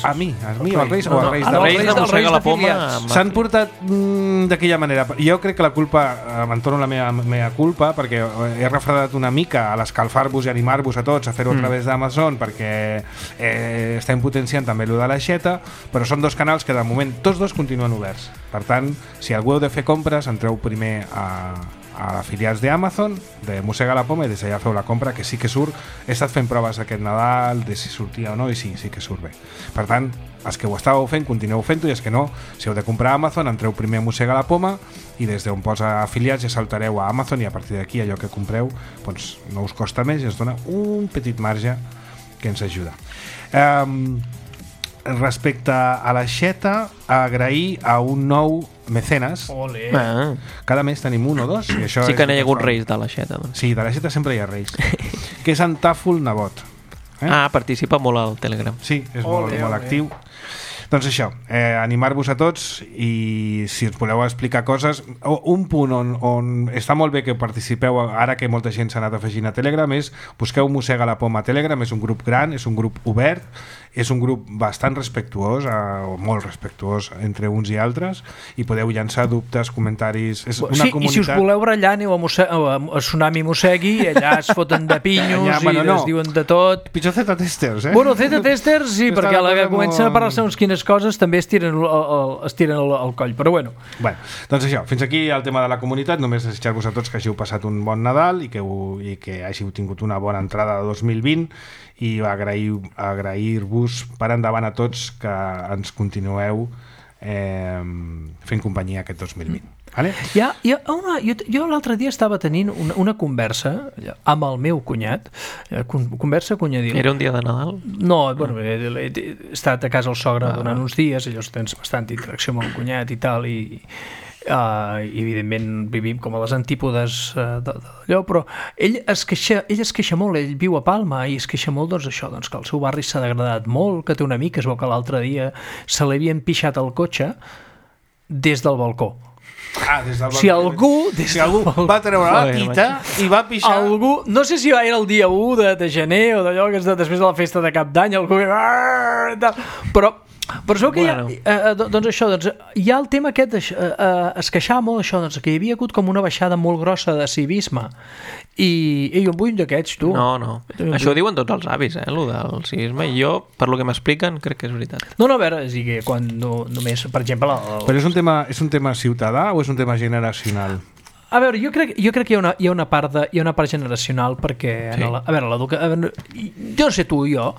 A mi, els Reis o els Reis Els Reis de Mossega la Poma s'han portat d'aquella manera. Jo crec que la culpa, me'n torno la meva culpa, perquè he refredat una mica a l'escalfar-vos i animar-vos a tots a fer-ho a través d'Amazon, perquè estem potenciant també allò de l'aixeta, però són dos canals que de moment tots dos continuen oberts. Per tant, si algú heu de fer compres, entreu primer a afiliats d'Amazon, de Mossega la Poma, i des d'allà feu la compra, que sí que surt. He estat fent proves aquest Nadal de si sortia o no, i sí que surt bé. Per tant, els que ho estàveu fent, continueu fent-ho, i els que no, si heu de comprar a Amazon, entreu primer a Mossega la Poma, i des d'on posa afiliats ja saltareu a Amazon, i a partir d'aquí allò que compreu doncs no us costa més i ens dona un petit marge que ens ajuda. Respecte a l'aixeta, agrair a un nou mecenes. Ole. Cada mes tenim un o dos, i això Sí que és n'hi ha hagut reis de l'aixeta, doncs. Sí, de l'aixeta sempre hi ha reis. Que és en Tàfol Nebot. Participa molt al Telegram. Sí, és molt actiu. Doncs això, animar-vos a tots, i si us voleu explicar coses, un punt on està molt bé que participeu ara que molta gent s'ha anat afegint a Telegram és busqueu Mossega la Poma a Telegram. És un grup gran, és un grup obert, és un grup bastant respectuós, o molt respectuós entre uns i altres, i podeu llançar dubtes, comentaris. És una comunitat... I si us voleu barallar, aneu a Tsunami Mossegui, i allà es foten de pinyos es diuen de tot. Pitjor Z-testers, Bueno, Z-testers sí, perquè a la que comencen a parlar segons quines coses també es tiren el coll, però bueno. Doncs això, fins aquí el tema de la comunitat. Només desitjar-vos a tots que hàgiu passat un bon Nadal i que hàgiu tingut una bona entrada de 2020, i agrair-vos per endavant a tots que ens continueu fent companyia aquest 2020. Vale? Jo l'altre dia estava tenint una conversa amb el meu cunyat, conversa cunyadil. Era un dia de Nadal? No, bueno, he estat a casa al sogre durant uns dies, llavors tens bastanta interacció amb el cunyat i tal, i evidentment vivim com a les antípodes d'allò, però ell es queixa molt, ell viu a Palma i es queixa molt doncs, que el seu barri s'ha degradat molt, que té un amic que es veu que l'altre dia se li havien pixat el cotxe des del balcó. Des del balcó. Si algú va treure la tita i va pixar... No sé si era el dia 1 de gener o d'allò que és després de la festa de Cap d'Any, algú... Però es veu que hi ha el tema aquest, es queixava molt això, que hi havia hagut com una baixada molt grossa de civisme, i jo em vull d'aquests, tu. No. Això ho diuen tots els avis, el del civisme, i jo, per lo que m'expliquen, crec que és veritat. No, a veure, és que quan només, per exemple... Però és un tema ciutadà o és un tema generacional? A veure, jo crec que hi ha una part generacional, perquè jo no sé tu i jo,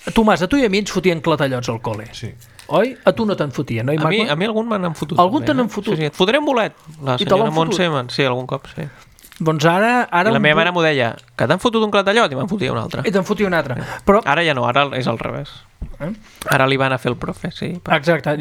Tomàs, a tu i a mi ens fotien clatallots al col·le. Sí. Oi? A tu no te'n fotien, oi, Marco? A mi algun me n'han fotut. Algun te n'han fotut? Sí, et fotré un bolet. La senyora Montse, sí, algun cop, sí. Doncs ara... I la meva mare m'ho deia, que t'han fotut un clatallot, i me'n fotia un altre. I te'n fotia un altre. Però... Ara ja no, ara és al revés. Ara li van a fer el profe, sí. Exacte.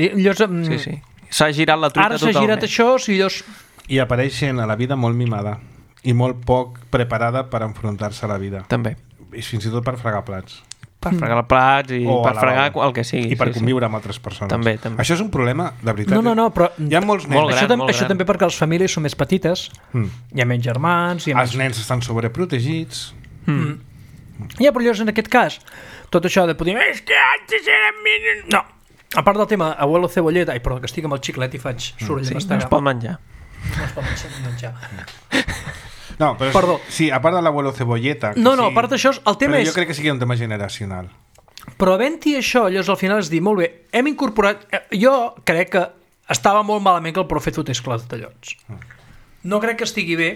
Sí. S'ha girat la truita totalment. Ara s'ha girat això, si llavors... I apareix gent a la vida molt mimada i molt poc preparada per enfrontar-se a la vida. També. I fins i tot per fregar plats. Per fregar els plats i per fregar el que sigui. I per conviure amb altres persones. També. Això és un problema, de veritat. No, però hi ha molts nens. Això també perquè les famílies són més petites, hi ha menys germans... Els nens estan sobreprotegits. Ja, però llavors en aquest cas, tot això de poder... És que antes eren... No, a part del tema abuelo cebolleta... Ai, perdó, que estic amb el xiclet i faig soroll de mastegar. No es pot menjar. No es pot menjar. No, però perdó. Sí, a part de l'abuelo cebolleta... No, a part d'això, el tema és... Però jo crec que sí que és un tema generacional. Però havent-hi això, llavors al final és dir, molt bé, hem incorporat... Jo crec que estava molt malament que el profe fotés clatallots. No crec que estigui bé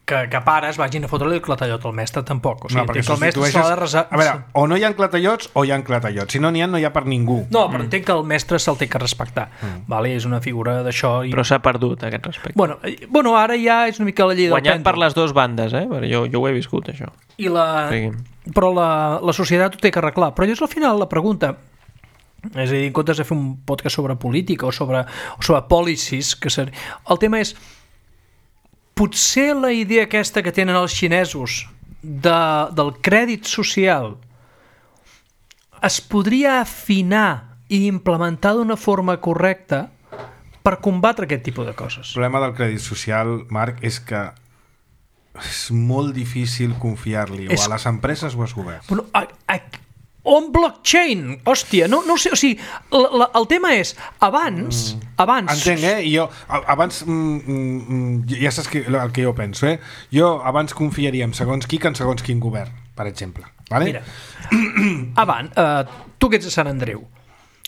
que pares vagin a fotre-li el clatallot al mestre, tampoc. O sigui, perquè que el mestre s'ha de resar... A veure, o no hi ha clatallots o hi ha clatallots. Si no n'hi ha per ningú. No, però entenc que el mestre se'l té que respectar. Vale? És una figura d'això... Però s'ha perdut, aquest respecte. Bueno, ara ja és una mica la llei del guanyat per les dues bandes, jo ho he viscut, això. Però la societat ho té que arreglar. Però llavors al final la pregunta... És a dir, en comptes de fer un podcast sobre política o sobre policies, el tema és... Potser la idea aquesta que tenen els xinesos del crèdit social es podria afinar i implementar d'una forma correcta per combatre aquest tipus de coses. El problema del crèdit social, Marc, és que és molt difícil confiar-li, o a les empreses o als governs. Bueno, on blockchain? Hòstia, no ho sé, o sigui, el tema és, abans... Entenc, jo abans ja saps el que jo penso, jo abans confiaria en segons qui que en segons quin govern, per exemple, vale? Mira, abans, tu que ets de Sant Andreu,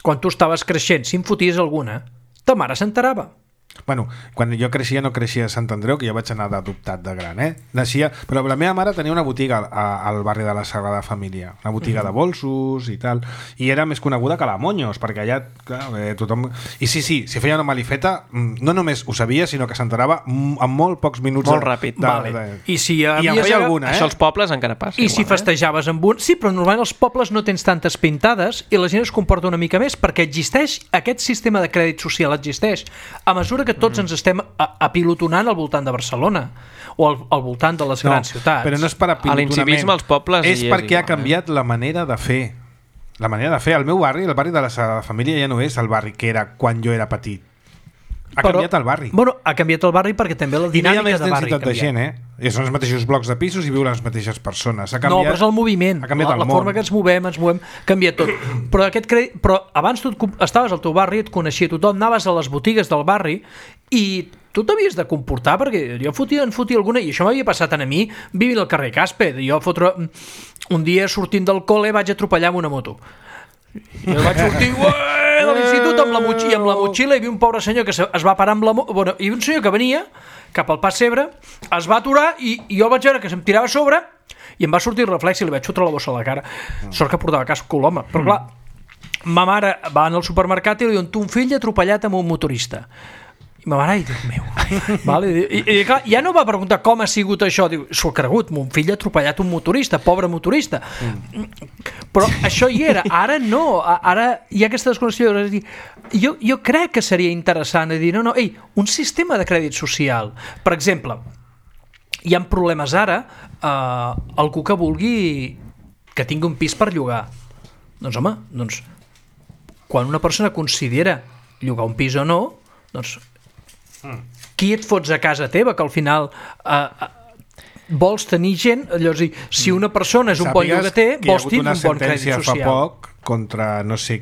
quan tu estaves creixent, si en foties alguna, ta mare s'enterava. Bueno, quan jo creixia no creixia a Sant Andreu, que jo vaig anar d'adoptat de gran, Naixia, però la meva mare tenia una botiga al barri de la Sagrada Família, una botiga de bolsos i tal, i era més coneguda que la Moños, perquè allà clar, tothom... I sí, si feia una malifeta, no només ho sabia, sinó que s'enterava en molt pocs minuts. Molt ràpid. I si en feia alguna, Això als pobles encara passa. I si festejaves amb un... Sí, però normalment als pobles no tens tantes pintades i la gent es comporta una mica més, perquè existeix, aquest sistema de crèdit social existeix. A mesura que tots ens estem apilotonant al voltant de Barcelona o al voltant de les grans ciutats. Però no és per apilotonament. L'incivisme als pobles és perquè ha canviat la manera de fer. La manera de fer. El meu barri, el barri de la Sagrada Família, ja no és el barri que era quan jo era petit. Canviat el barri. Bueno, ha canviat el barri perquè també la dinàmica de barri ha canviat. De gent, I són els mateixos blocs de pisos i viuen les mateixes persones. No, però és el moviment. La forma que ens movem, canvia tot. Però abans tu estaves al teu barri, et coneixia tothom, anaves a les botigues del barri i tu t'havies de comportar, perquè jo en fotia alguna, i això m'havia passat a mi vivint al carrer Caspe. Jo un dia sortint del col·le vaig atropellar amb una moto. Jo vaig sortir de l'institut amb la motxilla i hi havia un pobre senyor que es va parar amb la moto. Bueno, hi havia un senyor que venia cap al Pas Cebre, es va aturar i jo vaig veure que se'm tirava a sobre i em va sortir el reflex i li vaig fotre la bossa a la cara. Sort que portava casc l'home. Però clar, ma mare va al supermercat i li diuen tu un fill atropellat amb un motorista. I ma mare, ai, Déu meu. Vale? I clar, ja no va preguntar com ha sigut això. Diu, s'ho ha cregut, mon fill ha atropellat un motorista, pobre motorista. Però això hi era. Ara no. Ara hi ha aquesta desconnexió. Jo crec que seria interessant dir, un sistema de crèdit social. Per exemple, hi ha problemes ara, algú que vulgui que tingui un pis per llogar. Doncs home, quan una persona considera llogar un pis o no, doncs qui et fots a casa teva, que al final vols tenir gent, llavors si una persona és un bon llogater, vols tenir un bon crèdit social. Fa poc contra no sé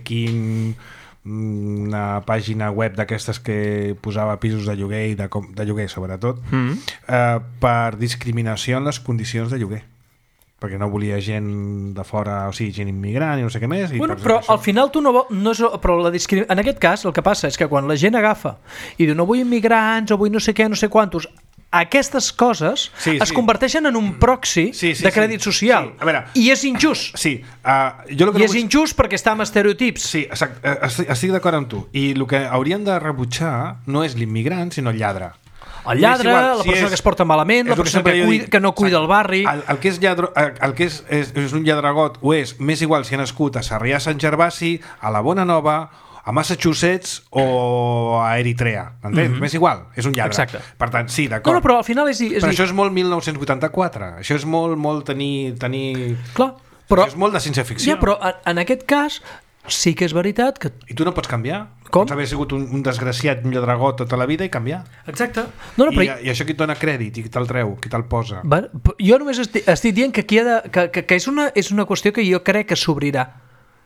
una pàgina web d'aquestes que posava pisos de lloguer i de lloguer sobretot, per discriminació en les condicions de lloguer, perquè no volia gent de fora, o sigui, gent immigrant i no sé què més. Bueno, però al final tu no és... Però en aquest cas el que passa és que quan la gent agafa i diu no vull immigrants o vull no sé què, no sé quantos, aquestes coses es converteixen en un proxy de crèdit social. A veure, i és injust. Sí. És injust perquè està amb estereotips. Sí, exacte, estic d'acord amb tu. I el que haurien de rebutjar no és l'immigrant, sinó el lladre. El lladre, la persona que es porta malament, la persona que no cuida el barri. El que és lladre, el que és un lladregot ho és, m'és igual si ha nascut a Sarrià Sant Gervasi, a la Bona Nova, a Massachusetts o a Eritrea, entens? M'és igual, és un lladre. Exacte. Per tant, sí, d'acord. No, però al final és però això és molt 1984, això és molt tenir... Clar, però... Això és molt de ciència-ficció. Ja, però en aquest cas sí que és veritat que... I tu no pots canviar? Com? Pots haver sigut un desgraciat, un lladregot tota la vida i canviar. Exacte. I això qui et dona crèdit i qui te'l treu, qui te'l posa. Jo només estic dient que és una qüestió que jo crec que s'obrirà.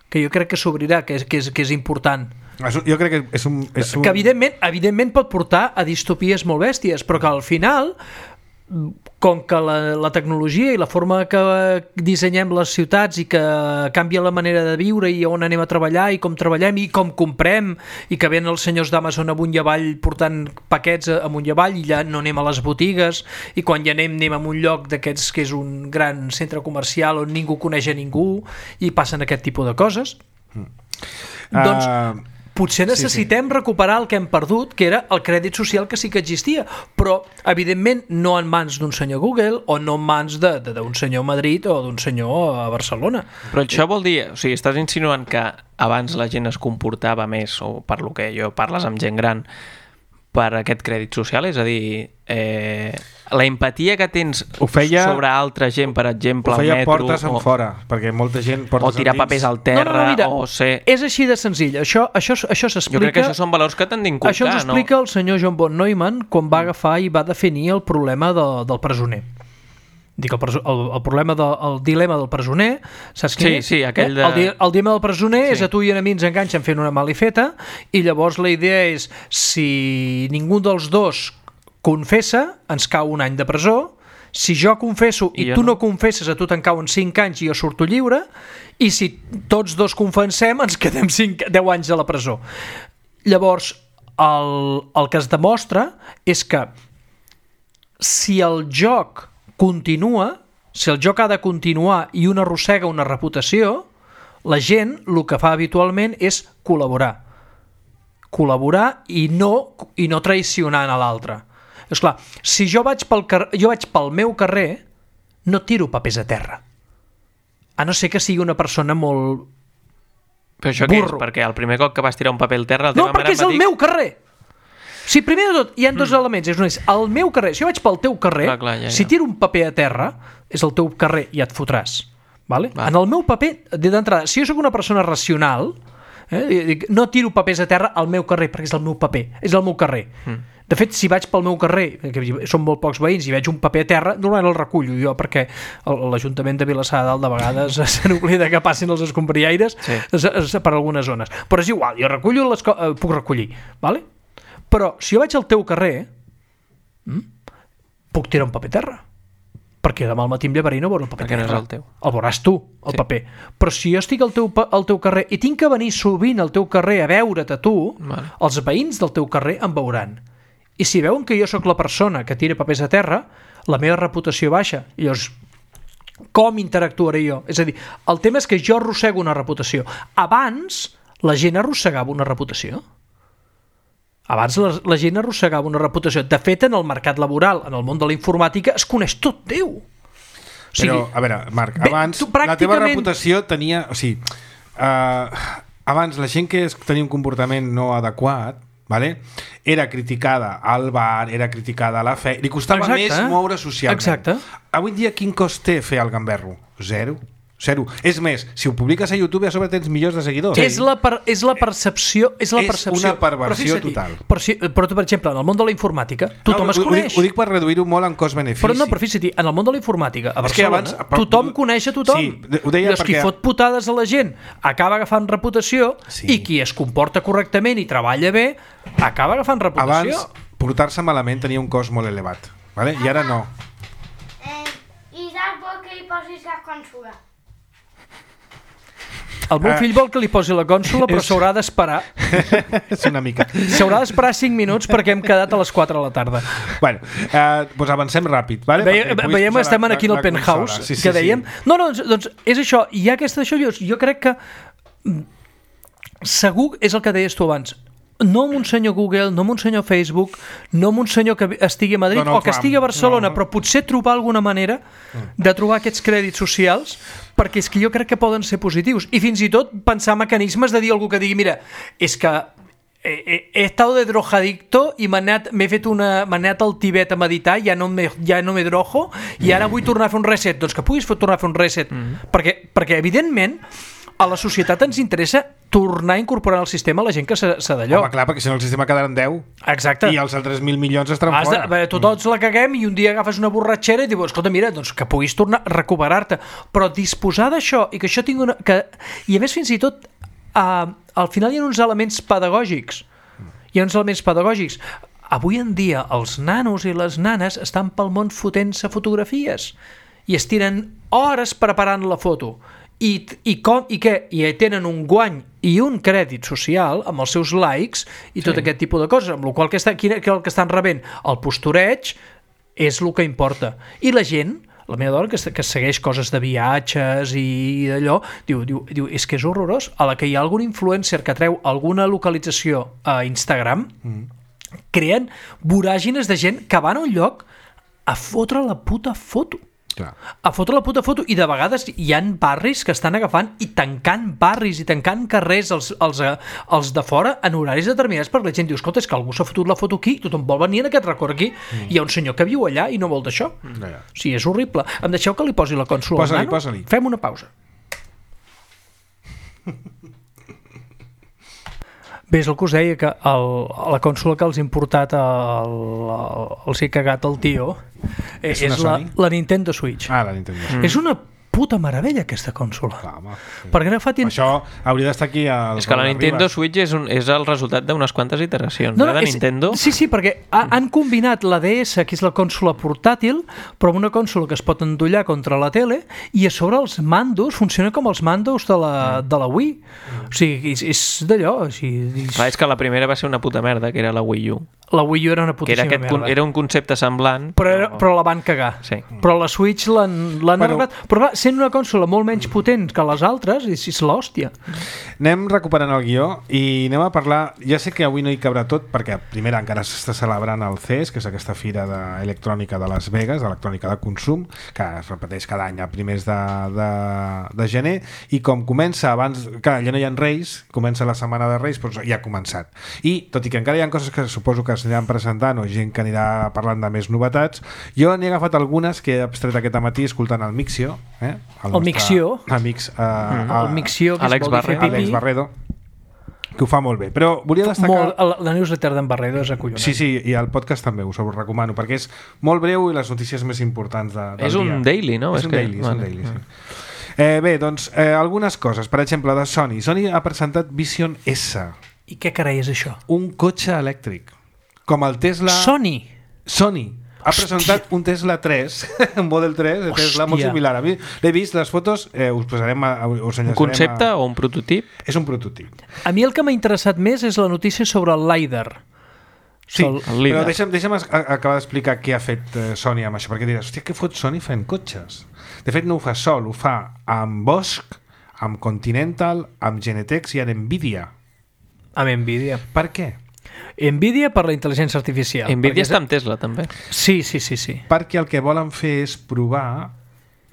Que és important. Jo crec que és un... Que evidentment pot portar a distopies molt bèsties, però que al final, com que la tecnologia i la forma que dissenyem les ciutats i que canvia la manera de viure i on anem a treballar i com treballem i com comprem i que venen els senyors d'Amazon amunt i avall portant paquets amunt i avall i ja no anem a les botigues i quan ja anem a un lloc d'aquests que és un gran centre comercial on ningú coneix a ningú i passen aquest tipus de coses, doncs potser necessitem recuperar el que hem perdut, que era el crèdit social que sí que existia, però evidentment no en mans d'un senyor Google o no en mans d'un senyor a Madrid o d'un senyor a Barcelona. Però això vol dir, o sigui, estàs insinuant que abans la gent es comportava més, o per lo que jo parles amb gent gran, per aquest crèdit social, és a dir, la empatia que tens sobre altra gent, per exemple, al metro... Ho feia portes enfora, perquè molta gent portes o tirar papers al terra, mira, o ser... És així de senzill, això s'explica... Jo crec que això són valors que t'han d'inculcar, això ens explica el senyor John von Neumann quan va agafar i va definir el problema del presoner. Dic, el problema del dilema del presoner, saps quin és? Sí, aquell de... El dilema del presoner és a tu i a mi ens enganxen fent una malifeta i llavors la idea és si ningú dels dos confessa, ens cau un any de presó. Si jo confesso i tu no confesses, a tu te'n cauen 5 anys i jo surto lliure, i si tots dos confessem ens quedem 10 anys a la presó. Llavors, el que es demostra és que si el joc continua, si el joc ha de continuar i un arrossega una reputació, la gent el que fa habitualment és col·laborar i no traicionant a l'altre. Esclar, si jo vaig pel meu carrer, no tiro papers a terra. A no ser que sigui una persona molt Però això què és? Perquè el primer cop que vas tirar un paper al terra... No, perquè és el meu carrer! Si primer de tot hi ha dos elements, és el meu carrer, si jo vaig pel teu carrer, si tiro un paper a terra, és el teu carrer i et fotràs. Vale? En el meu paper, d'entrada, si jo sóc una persona racional, no tiro papers a terra al meu carrer, perquè és el meu paper, és el meu carrer. De fet, si vaig pel meu carrer, que són molt pocs veïns, i veig un paper a terra, normalment el recullo jo, perquè l'Ajuntament de Vilassar de Dalt de vegades se n'oblida que passin els escombriaires per algunes zones. Però és igual, jo recullo puc recollir. Vale? Però si jo vaig al teu carrer, puc tirar un paper a terra. Perquè demà al matí em llevaré i no veuré el paper perquè terra. No és el teu. El veuràs tu, el paper. Però si jo estic al teu carrer i tinc que venir sovint al teu carrer a veure't a tu, els veïns del teu carrer em veuran. I si veuen que jo sóc la persona que tira papers a terra, la meva reputació baixa. I llavors, com interactuaré jo? És a dir, el tema és que jo arrossego una reputació. Abans, la gent arrossegava una reputació. Abans la gent arrossegava una reputació. De fet, en el mercat laboral, en el món de la informàtica, es coneix tot Déu. Però, a veure, Marc, abans la teva reputació tenia... O sigui, abans la gent que tenia un comportament no adequat, vale? Era criticada al bar, era criticada a la fe, li costava més moure socialment. Exacte. Avui en dia quin cost té fer el gamberro? Zero. És més, si ho publiques a YouTube a sobre tens milions de seguidors. És la percepció. És una perversió total. Però, per exemple, en el món de la informàtica tothom es coneix. Ho dic per reduir-ho molt en cost-benefici. Però fixa't, en el món de la informàtica a Barcelona tothom coneix a tothom. Sí, ho deia perquè... qui fot putades a la gent acaba agafant reputació i qui es comporta correctament i treballa bé acaba agafant reputació. Abans, portar-se malament tenia un cost molt elevat, vale? I ara no. I saps vol que li posis la consola? El meu fill vol que li posi la consola, però s'haurà d'esperar. És una mica. S'haurà d'esperar 5 minuts perquè hem quedat a les 4 de la tarda. Bueno, doncs avancem ràpid. Vale? Veiem, estem aquí en el penthouse, que dèiem. No, doncs és això. I aquesta d'això, jo crec que segur és el que deies tu abans. No amb un senyor Google, no amb un senyor Facebook, no amb un senyor que estigui a Madrid o que estigui a Barcelona, però potser trobar alguna manera de trobar aquests crèdits socials, perquè és que jo crec que poden ser positius. I fins i tot pensar mecanismes de dir algú que digui, mira, és que he estat de drojadicto i m'he anat al Tibet a meditar, ja no me drojo, i ara vull tornar a fer un reset. Doncs que puguis tornar a fer un reset. Perquè evidentment, a la societat ens interessa tornar a incorporar al sistema la gent que s'ha d'allò. Home, clar, perquè si no el sistema quedarà en 10. Exacte. I els altres 1.000 milions estaran fora. Tots la caguem i un dia agafes una borratxera i dius, escolta, mira, doncs que puguis tornar a recuperar-te. Però disposar d'això i que això tingui una... I a més, fins i tot, al final hi ha uns elements pedagògics. Avui en dia, els nanos i les nanes estan pel món fotent-se fotografies i es tiren hores preparant la foto. I tenen un guany i un crèdit social amb els seus likes i tot aquest tipus de coses, amb la qual cosa el que estan rebent el postureig és el que importa. I la gent, la meva dona que segueix coses de viatges i d'allò, diu és que és horrorós. A la que hi ha algun influencer que treu alguna localització a Instagram, creen voràgines de gent que van a un lloc a fotre la puta foto. Clar. A fotre la puta foto, i de vegades hi han barris que estan agafant i tancant barris i tancant carrers els de fora en horaris determinats, perquè la gent diu, escolta, és que algú s'ha fotut la foto aquí, tothom vol venir en aquest record aquí, hi ha un senyor que viu allà i no vol d'això. Sí, és horrible. Em deixeu que li posi la consola al nano? Posa-li. Fem una pausa. Bé, és el que us deia, que la consola que els he importat els he cagat al tio, És una Sony? la Nintendo Switch. La Nintendo Switch. És una puta meravella aquesta consola. Clar, home. Perquè ara fa temps... Això hauria d'estar aquí al És que la Raül Nintendo Ribas. Switch és el resultat d'unes quantes iteracions de Nintendo. Sí, perquè han combinat la DS, que és la consola portàtil, però amb una consola que es pot endollar contra la tele, i a sobre els mandos funciona com els mandos de la Wii. O sigui, és d'allò. Clar, és que la primera va ser una puta merda, que era la Wii U. La Wii U era una putíssima merda. Era un concepte semblant. Però la van cagar. Sí. Però la Switch l'han arreglat. Però va, sent una consola molt menys potent que les altres, és l'hòstia. Anem recuperant el guió i anem a parlar... Ja sé que avui no hi cabrà tot, perquè primera encara s'està celebrant el CES, que és aquesta fira electrònica de Las Vegas, electrònica de consum, que es repeteix cada any a primers de gener, i com comença abans... Clar, ja no hi ha Reis, comença la setmana de Reis, doncs ja ha començat. I, tot i que encara hi ha coses que suposo que s'aniran presentant o gent que anirà parlant de més novetats, jo n'he agafat algunes que he abstret aquest matí escoltant el Mixio, el Mixio. Amics, El Mixio, que Alex es vol dir fer Alex pipí. Barredo, que ho fa molt bé, però volia destacar... La newsletter d'en Barredo és acollonant. Sí, i el podcast també us ho recomano, perquè és molt breu i les notícies més importants del dia. És un daily, no? És un daily, sí. Bé, doncs, algunes coses. Per exemple, de Sony. Sony ha presentat Vision S. I què carai és això? Un cotxe elèctric. Com el Tesla... Sony ha presentat un Tesla 3, un Model 3 de Tesla, molt similar. A mi l'he vist, les fotos, us posarem... Un concepte o un prototip? És un prototip. A mi el que m'ha interessat més és la notícia sobre el LiDAR. Sí, però deixa'm acabar d'explicar què ha fet Sony amb això, perquè diràs, hòstia, què fot Sony fent cotxes? De fet, no ho fa sol, ho fa amb Bosch, amb Continental, amb Genetex i amb Nvidia. Amb Nvidia. Per què? Nvidia per la intel·ligència artificial. Nvidia està amb Tesla, també. Sí. Perquè el que volen fer és provar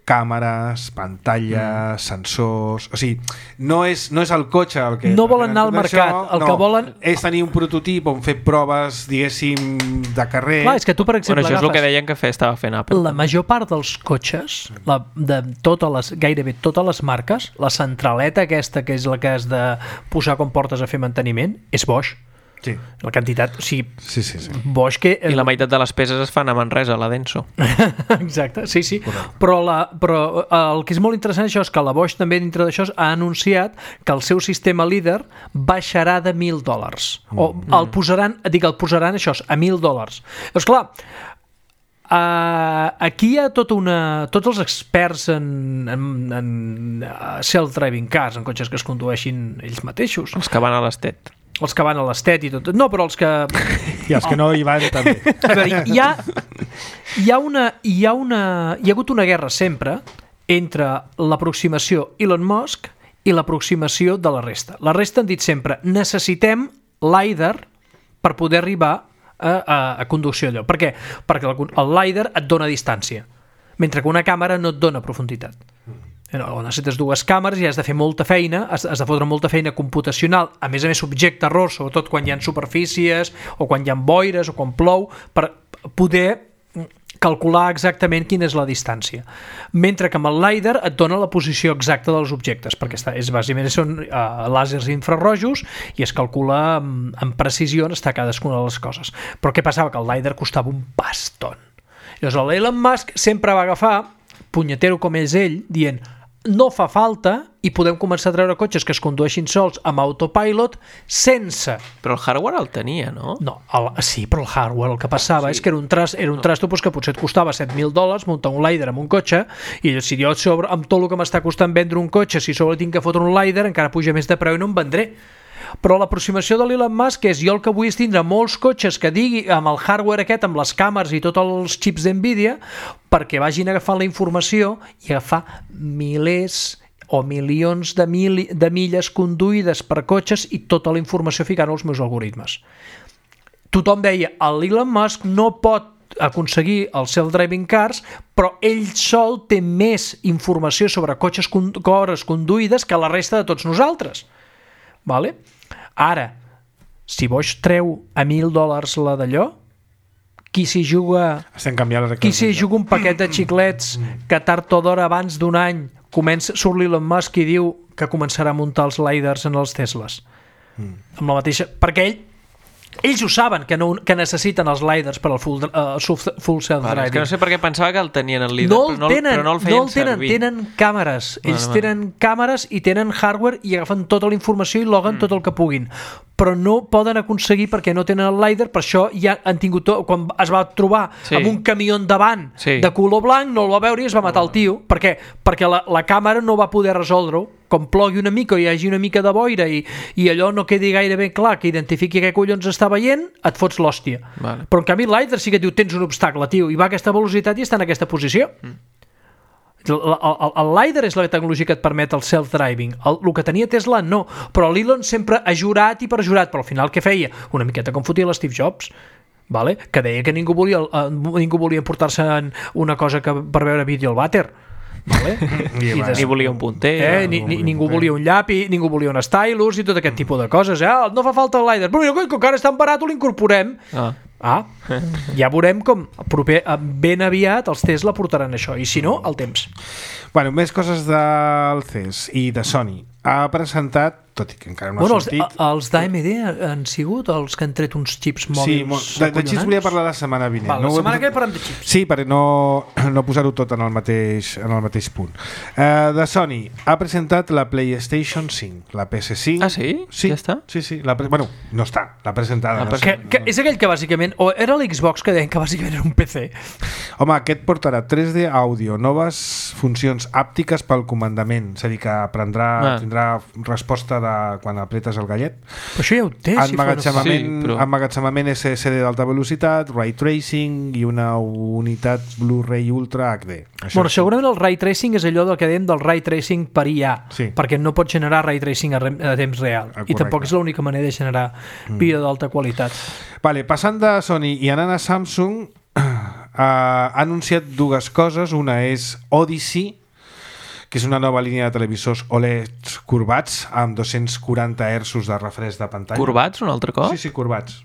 càmeres, pantalles, sensors... O sigui, no és el cotxe el que... No volen anar al mercat, que volen... És tenir un prototip on fer proves, diguéssim, de carrer... Clar, és que tu, per exemple, això és el que deien que estava fent Apple. La major part dels cotxes, gairebé totes les marques, la centraleta aquesta, que és la que has de posar quan portes a fer manteniment, és Bosch. Sí. La quantitat, o sigui... Sí. Bosch que... I la meitat de les peces es fan a Manresa, a la Denso. Exacte, sí. Però el que és molt interessant això és que la Bosch també dintre d'això ha anunciat que el seu sistema líder baixarà de $1.000. O el posaran això, a $1.000. Doncs clar, aquí hi ha tots els experts en self-driving cars, en cotxes que es condueixin ells mateixos. Els que van a l'Estet. Els que van a l'Estet i tot. No, però els que... I els que no hi van també. A veure, hi ha hagut una guerra sempre entre l'aproximació Elon Musk i l'aproximació de la resta. La resta han dit sempre, necessitem LiDAR per poder arribar a conducció allò. Per què? Perquè el LiDAR et dona distància, mentre que una càmera no et dona profunditat. Necessites dues càmeres i has de fer molta feina, has de fotre molta feina computacional, a més subjecte a error, sobretot quan hi ha superfícies o quan hi ha boires o quan plou, per poder calcular exactament quina és la distància. Mentre que amb el LiDAR et dona la posició exacta dels objectes, perquè bàsicament són làsers infrarrojos i es calcula amb precisió on està cadascuna de les coses. Però què passava? Que el LiDAR costava un paston. Llavors l'Elon Musk sempre va agafar, punyetero com és ell, dient no fa falta i podem començar a treure cotxes que es condueixin sols amb autopilot sense... Però el hardware el tenia, no? No, sí, però el hardware el que passava és que era un trasto que potser et costava $7.000 muntar un LiDAR amb un cotxe i si jo amb tot el que m'està costant vendre un cotxe, si sobre tinc que fotre un LiDAR encara puja més de preu i no em vendré. Però l'aproximació de l'Elon Musk és jo el que vull és tindre molts cotxes que digui amb el hardware aquest, amb les càmeres i tots els xips d'Nvidia perquè vagin agafant la informació i agafar milers o milions de milles conduïdes per cotxes i tota la informació ficant als meus algoritmes. Tothom deia, l'Elon Musk no pot aconseguir els self-driving cars, però ell sol té més informació sobre cotxes conduïdes que la resta de tots nosaltres. Vale? Ara, si Bosch treu a $1.000 la d'allò, qui s'hi juga un paquet de xiclets que tard o d'hora abans d'un any surt l'Elon Musk i diu que començarà a muntar els LiDARs en els Tesles amb la mateixa, perquè ell ells ho saben, que necessiten els lidars per al full self-driving. És que no sé per què pensava que el tenien el líder, però no el feien servir. Tenen càmeres. Ells tenen càmeres i tenen hardware i agafen tota la informació i loguen tot el que puguin. Però no poden aconseguir perquè no tenen el lidar, per això ja han tingut quan es va trobar amb un camió davant de color blanc, no el va veure i es va matar el tio. Per què? Perquè la càmera no va poder resoldre-ho. Com plogui una mica o hi hagi una mica de boira i allò no quedi gaire ben clar que identifiqui què collons està veient, et fots l'hòstia. Vale. Però en canvi el lidar sí que diu tens un obstacle, tio, i va a aquesta velocitat i està en aquesta posició. El lidar és la tecnologia que et permet el self-driving. El que tenia Tesla no, però l'Elon sempre ha jurat i perjurat, però al final què feia? Una miqueta com fotia l'Steve Jobs, vale? Que deia que ningú volia portar-se una cosa per veure vídeo al vàter. Vale? Ni volia un punter, ningú volia un llapi, ningú volia un stylus i tot aquest tipus de coses. No fa falta el lidar, però mira, com que ara és tan barat ho l'incorporem. Ja veurem com ben aviat els Tesla portaran això, i si no, el temps. Bueno, més coses del CES i de Sony. Ha presentat, tot i que encara no ha sortit... Els d'AMD han sigut els que han tret uns xips mòbils. Sí, de xips volia parlar la setmana vinent. La setmana que parlem de xips. Sí, per no posar-ho tot en el mateix punt. De Sony, ha presentat la PlayStation 5, la PS5. Ah, sí? Ja està? Sí. Bueno, no està, l'ha presentada. És aquell que bàsicament, o era l'Xbox que deien que bàsicament era un PC. Home, aquest portarà 3D àudio, noves funcions àptiques pel comandament, és a dir, que tindrà resposta de quan apretes el gallet. Però això ja ho té. Emmagatzemament SSD d'alta velocitat, Ray Tracing i una unitat Blu-ray Ultra HD. Segurament el Ray Tracing és allò del que dèiem del Ray Tracing per IA, perquè no pot generar Ray Tracing a temps real. I tampoc és l'única manera de generar vídeo d'alta qualitat. Vale, passant de Sony i anant a Samsung, ha anunciat dues coses. Una és Odyssey, que és una nova línia de televisors OLED corbats amb 240 Hz de refresc de pantalla. Corbats un altre cop? Sí, corbats.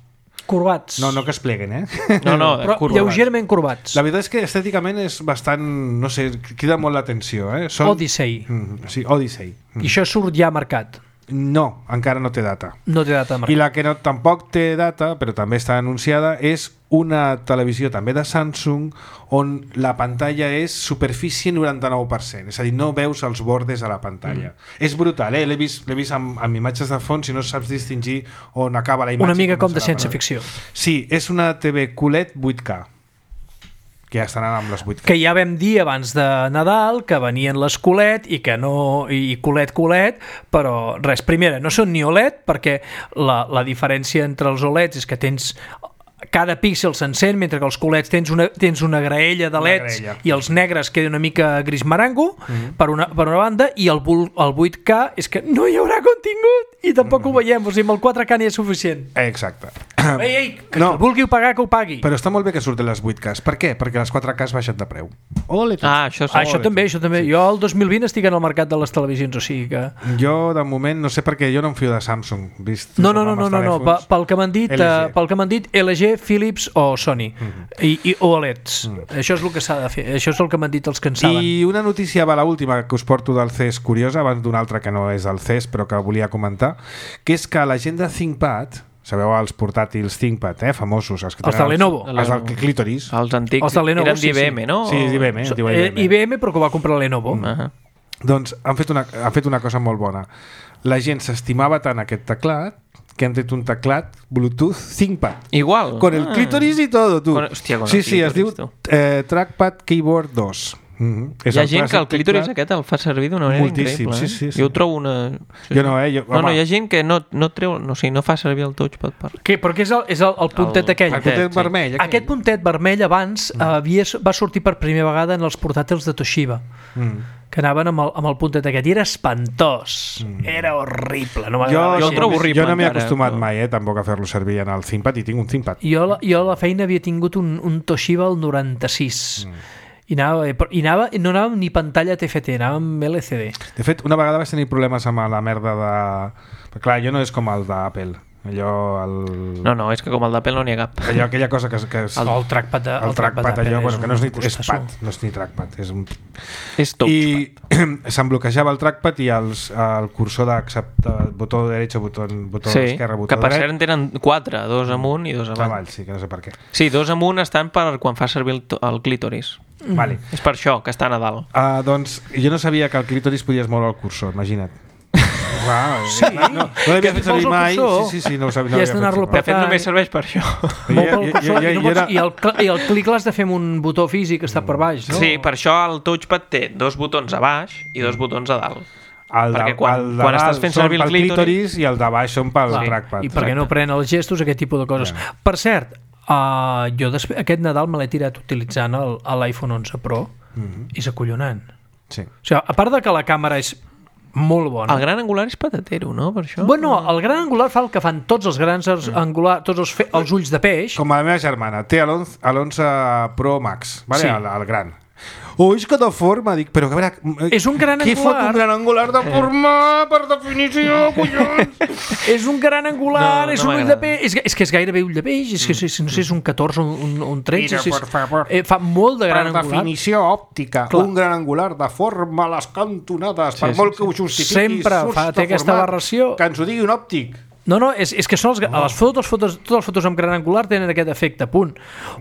Corbats. No que es pleguen, No, però lleugerament corbats. La veritat és que estèticament és bastant, no sé, crida molt l'atenció. Odyssey. Sí, Odyssey. I això surt ja marcat? No, encara no té data. No té data marcat. I la que tampoc té data, però també està anunciada, és una televisió també de Samsung on la pantalla és superfície 99%, és a dir, no veus els bordes a la pantalla. És brutal, l'he vist amb imatges de fons i no saps distingir on acaba la imatge. Una mica com de ciència-ficció. Sí, és una TV QLED 8K, que ja estaran amb les 8K. Que ja vam dir abans de Nadal que venien les QLED i que no, i QLED, però res, primera, no són ni OLED, perquè la diferència entre els OLEDs és que tens cada píxel s'encén, mentre que els QLEDs tens una graella de LEDs i els negres queda una mica gris marango per una banda, i el 8K és que no hi haurà contingut i tampoc ho veiem, o sigui, amb el 4K n'hi és suficient. Exacte. Que no vulgui pagar, que ho pagui. Però està molt bé que surten les 8Ks. Per què? Perquè les 4Ks baixen de preu. Això també. Jo el 2020 estic en el mercat de les televisions, o sigui que... Jo, de moment, no sé per què, jo no em fio de Samsung. No. Pel que m'han dit, LG, Philips o Sony i OLEDs. Això és el que s'ha de fer. Això és el que m'han dit els que en saben. I una notícia, l'última que us porto del CES curiosa, abans d'una altra que no és del CES però que volia comentar, que és que la gent de ThinkPad, sabeu els portàtils ThinkPad, famosos, els de Lenovo, els del Clitoris, els antics, eren d'IBM, no? Sí, d'IBM. IBM, però que va comprar Lenovo. Doncs han fet una cosa molt bona. La gent s'estimava tant aquest teclat que han tret un teclat Bluetooth ThinkPad. Igual. Con el clítoris y todo, tu. Hòstia, con sí, el clítoris, es diu Trackpad Keyboard 2. Hi ha gent que el clítoris aquest el fa servir d'una manera increïble. Sí. Jo ho trobo una... Jo no, hi ha gent que no treu, no fa servir el touchpad per... Però què és el puntet aquell? El puntet vermell. Aquest puntet vermell abans va sortir per primera vegada en els portàtils de Toshiba, que anaven amb el puntet aquest, i era espantós, era horrible. Jo el trobo horrible. Jo no m'he acostumat mai tampoc a fer-lo servir en el ThinkPad, i tinc un ThinkPad. Jo a la feina havia tingut un Toshiba el 96, i no anàvem ni pantalla TFT, anàvem LCD. De fet, una vegada vaig tenir problemes amb la merda de... Perquè, clar, jo no és com el d'Apple. Allò... No, és que com el d'Apple no n'hi ha cap. Allò, aquella cosa que és... El trackpad allò, bueno, que no és ni trackpad, no és ni trackpad, és un... És touchpad. I se'm bloquejava el trackpad i el cursor d'acceptar botó dret, botó esquerra, botó que per dret... cert en tenen 4, 2 amunt i 2 avall. Sí, que no sé per què. Sí, 2 amunt estan per quan fa servir el clítoris. Vale. És per això que estan a dalt. Doncs jo no sabia que el clítoris podies moure el cursor, imagina't. Wow. Sí, no l'havia fet servir mai. Sí, no ho sabia. I has d'anar-lo De fet, només serveix per això. I el clic l'has de fer amb un botó físic que està per baix, no? Sí, per això el touchpad té 2 botons a baix i 2 botons a dalt. Perquè quan estàs fent servir el clítoris i el de baix són pel trackpad. I perquè no pren els gestos, aquest tipus de coses. Per cert, jo aquest Nadal me l'he tirat utilitzant l'iPhone 11 Pro i és acollonant. Sí. O sigui, a part de que la càmera és molt bona. El gran angular és patatero, no? Per això? Bueno, el gran angular fa el que fan tots els grans angulars, tots els ulls de peix. Com la meva germana, té l'11 Pro Max, vale? Sí. El gran. És que de forma, dic, però a veure... És un gran qui angular. fot un gran angular de forma, per definició, collons? És un gran angular, No, és no un ull de peix, és que és gairebé ull de peix, és que no sé, és un 14 o un 13, Mira, per favor. Fa molt de gran Per angular. definició òptica, Clar. un gran angular de forma a les cantonades, per molt que ho justifiquis, Sempre té aquesta aberració. que ens ho digui un òptic. No, és que són totes les fotos amb gran angular tenen aquest efecte, punt.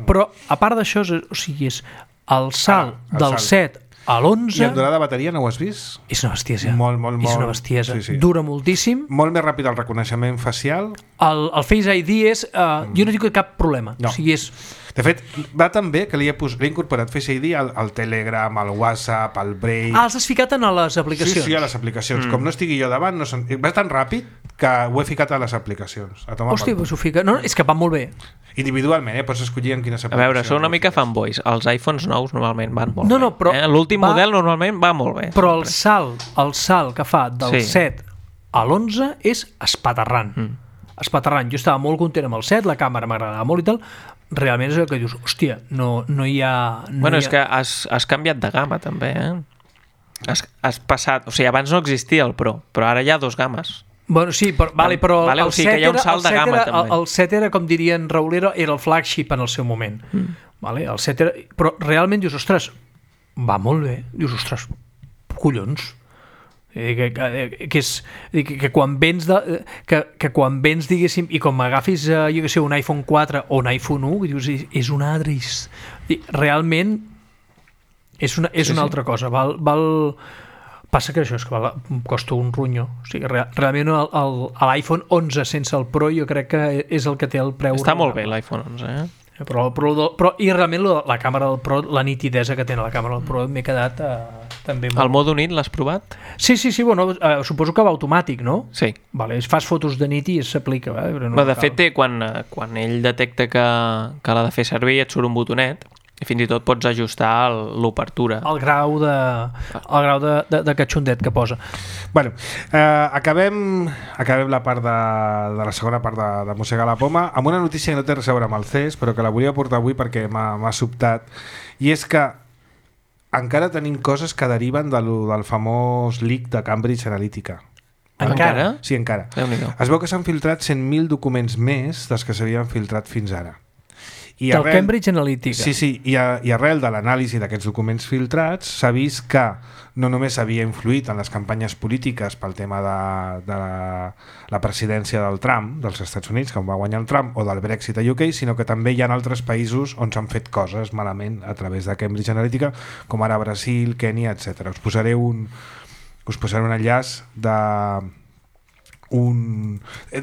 Però, a part d'això, és el salt del 7 a l'11... I en durada de bateria no ho has vist? És una bestiesa. Molt. És una bestiesa. Sí. Dura moltíssim. Molt més ràpid el reconeixement facial. El Face ID és... jo no dic cap problema. No. O sigui, és... De fet, va tan bé que li he incorporat Face ID al Telegram, al WhatsApp, al Brave... els has ficat en les aplicacions. Sí, a les aplicacions. Com no estigui jo davant, va tan ràpid que ho he ficat a les aplicacions. Hòstia, doncs ho fica... No, és que va molt bé. Individualment, pots escollir en quines A aplicacions. veure, són una mica fanboys. Els iPhones nous normalment van molt No, bé. però l'últim model normalment va molt bé. Però el salt que fa del Sí. 7 a l'11 és espaterrant. Espaterrant. Jo estava molt content amb el 7, la càmera m'agradava molt i tal. Realment és el que dius, hòstia, no hi ha... És que has canviat de gamma també, Has passat... O sigui, abans no existia el Pro, però ara hi ha 2 games. Bueno, sí, però Vale, el o sigui que hi ha un salt de gamma, també. El 7 era, com dirien Raül, era el flagship en el seu moment. Vale? El 7 era... Però realment dius, ostres, va molt bé. Dius, ostres, collons. Que quan vens que quan vens, diguéssim, i com agafis jo que sé, un iPhone 4 o un iPhone 1, que dius, és una altra... Realment és una altra cosa. Passa que això és que costa un ronyo. O sigui, realment l'iPhone 11 sense el Pro jo crec que és el que té el preu. Està molt bé l'iPhone 11, Però i realment la càmera del Pro, la nitidesa que té la càmera del Pro m'he quedat també molt... El modo nit l'has provat? Sí, bueno, suposo que va automàtic, no? Sí. Vale, fas fotos de nit i s'aplica. De fet, quan ell detecta que l'ha de fer servir et surt un botonet i fins i tot pots ajustar l'obertura. El grau de catxondet que posa. Bueno, acabem la part de la segona part de Mossegar la Poma amb una notícia que no té res a veure amb el CES, però que la volia portar avui perquè m'ha sobtat, i és que encara tenim coses que deriven del famós leak de Cambridge Analytica. Encara? Sí, encara. Déu-n'hi-do. Es veu que s'han filtrat 100.000 documents més dels que s'havien filtrat fins ara. Del Cambridge Analytica. Sí, i arrel de l'anàlisi d'aquests documents filtrats s'ha vist que no només havia influït en les campanyes polítiques pel tema de la presidència del Trump, dels Estats Units, que va guanyar el Trump, o del Brexit a UK, sinó que també hi ha altres països on s'han fet coses malament a través de Cambridge Analytica, com ara Brasil, Kènia, etc. Us posaré un enllaç de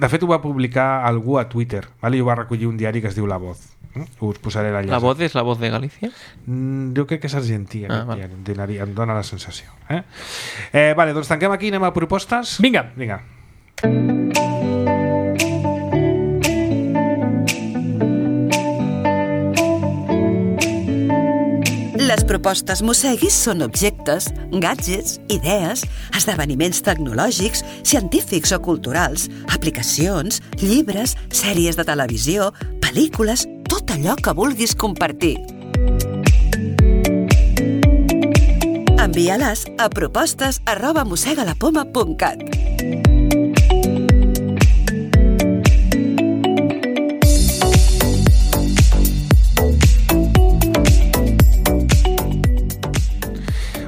fet ho va publicar algú a Twitter, i ho va recollir un diari que es diu La Voz. Us posaré l'enllaç. La Voz és La Voz de Galícia? Jo crec que és argentí, em dóna la sensació. Vale, doncs tanquem aquí, anem a propostes. Vinga. Les propostes Mosseguis són objectes, gadgets, idees, esdeveniments tecnològics, científics o culturals, aplicacions, llibres, sèries de televisió, pel·lícules, tot allò que vulguis compartir. Envia-les a propostes@mossegalapoma.cat.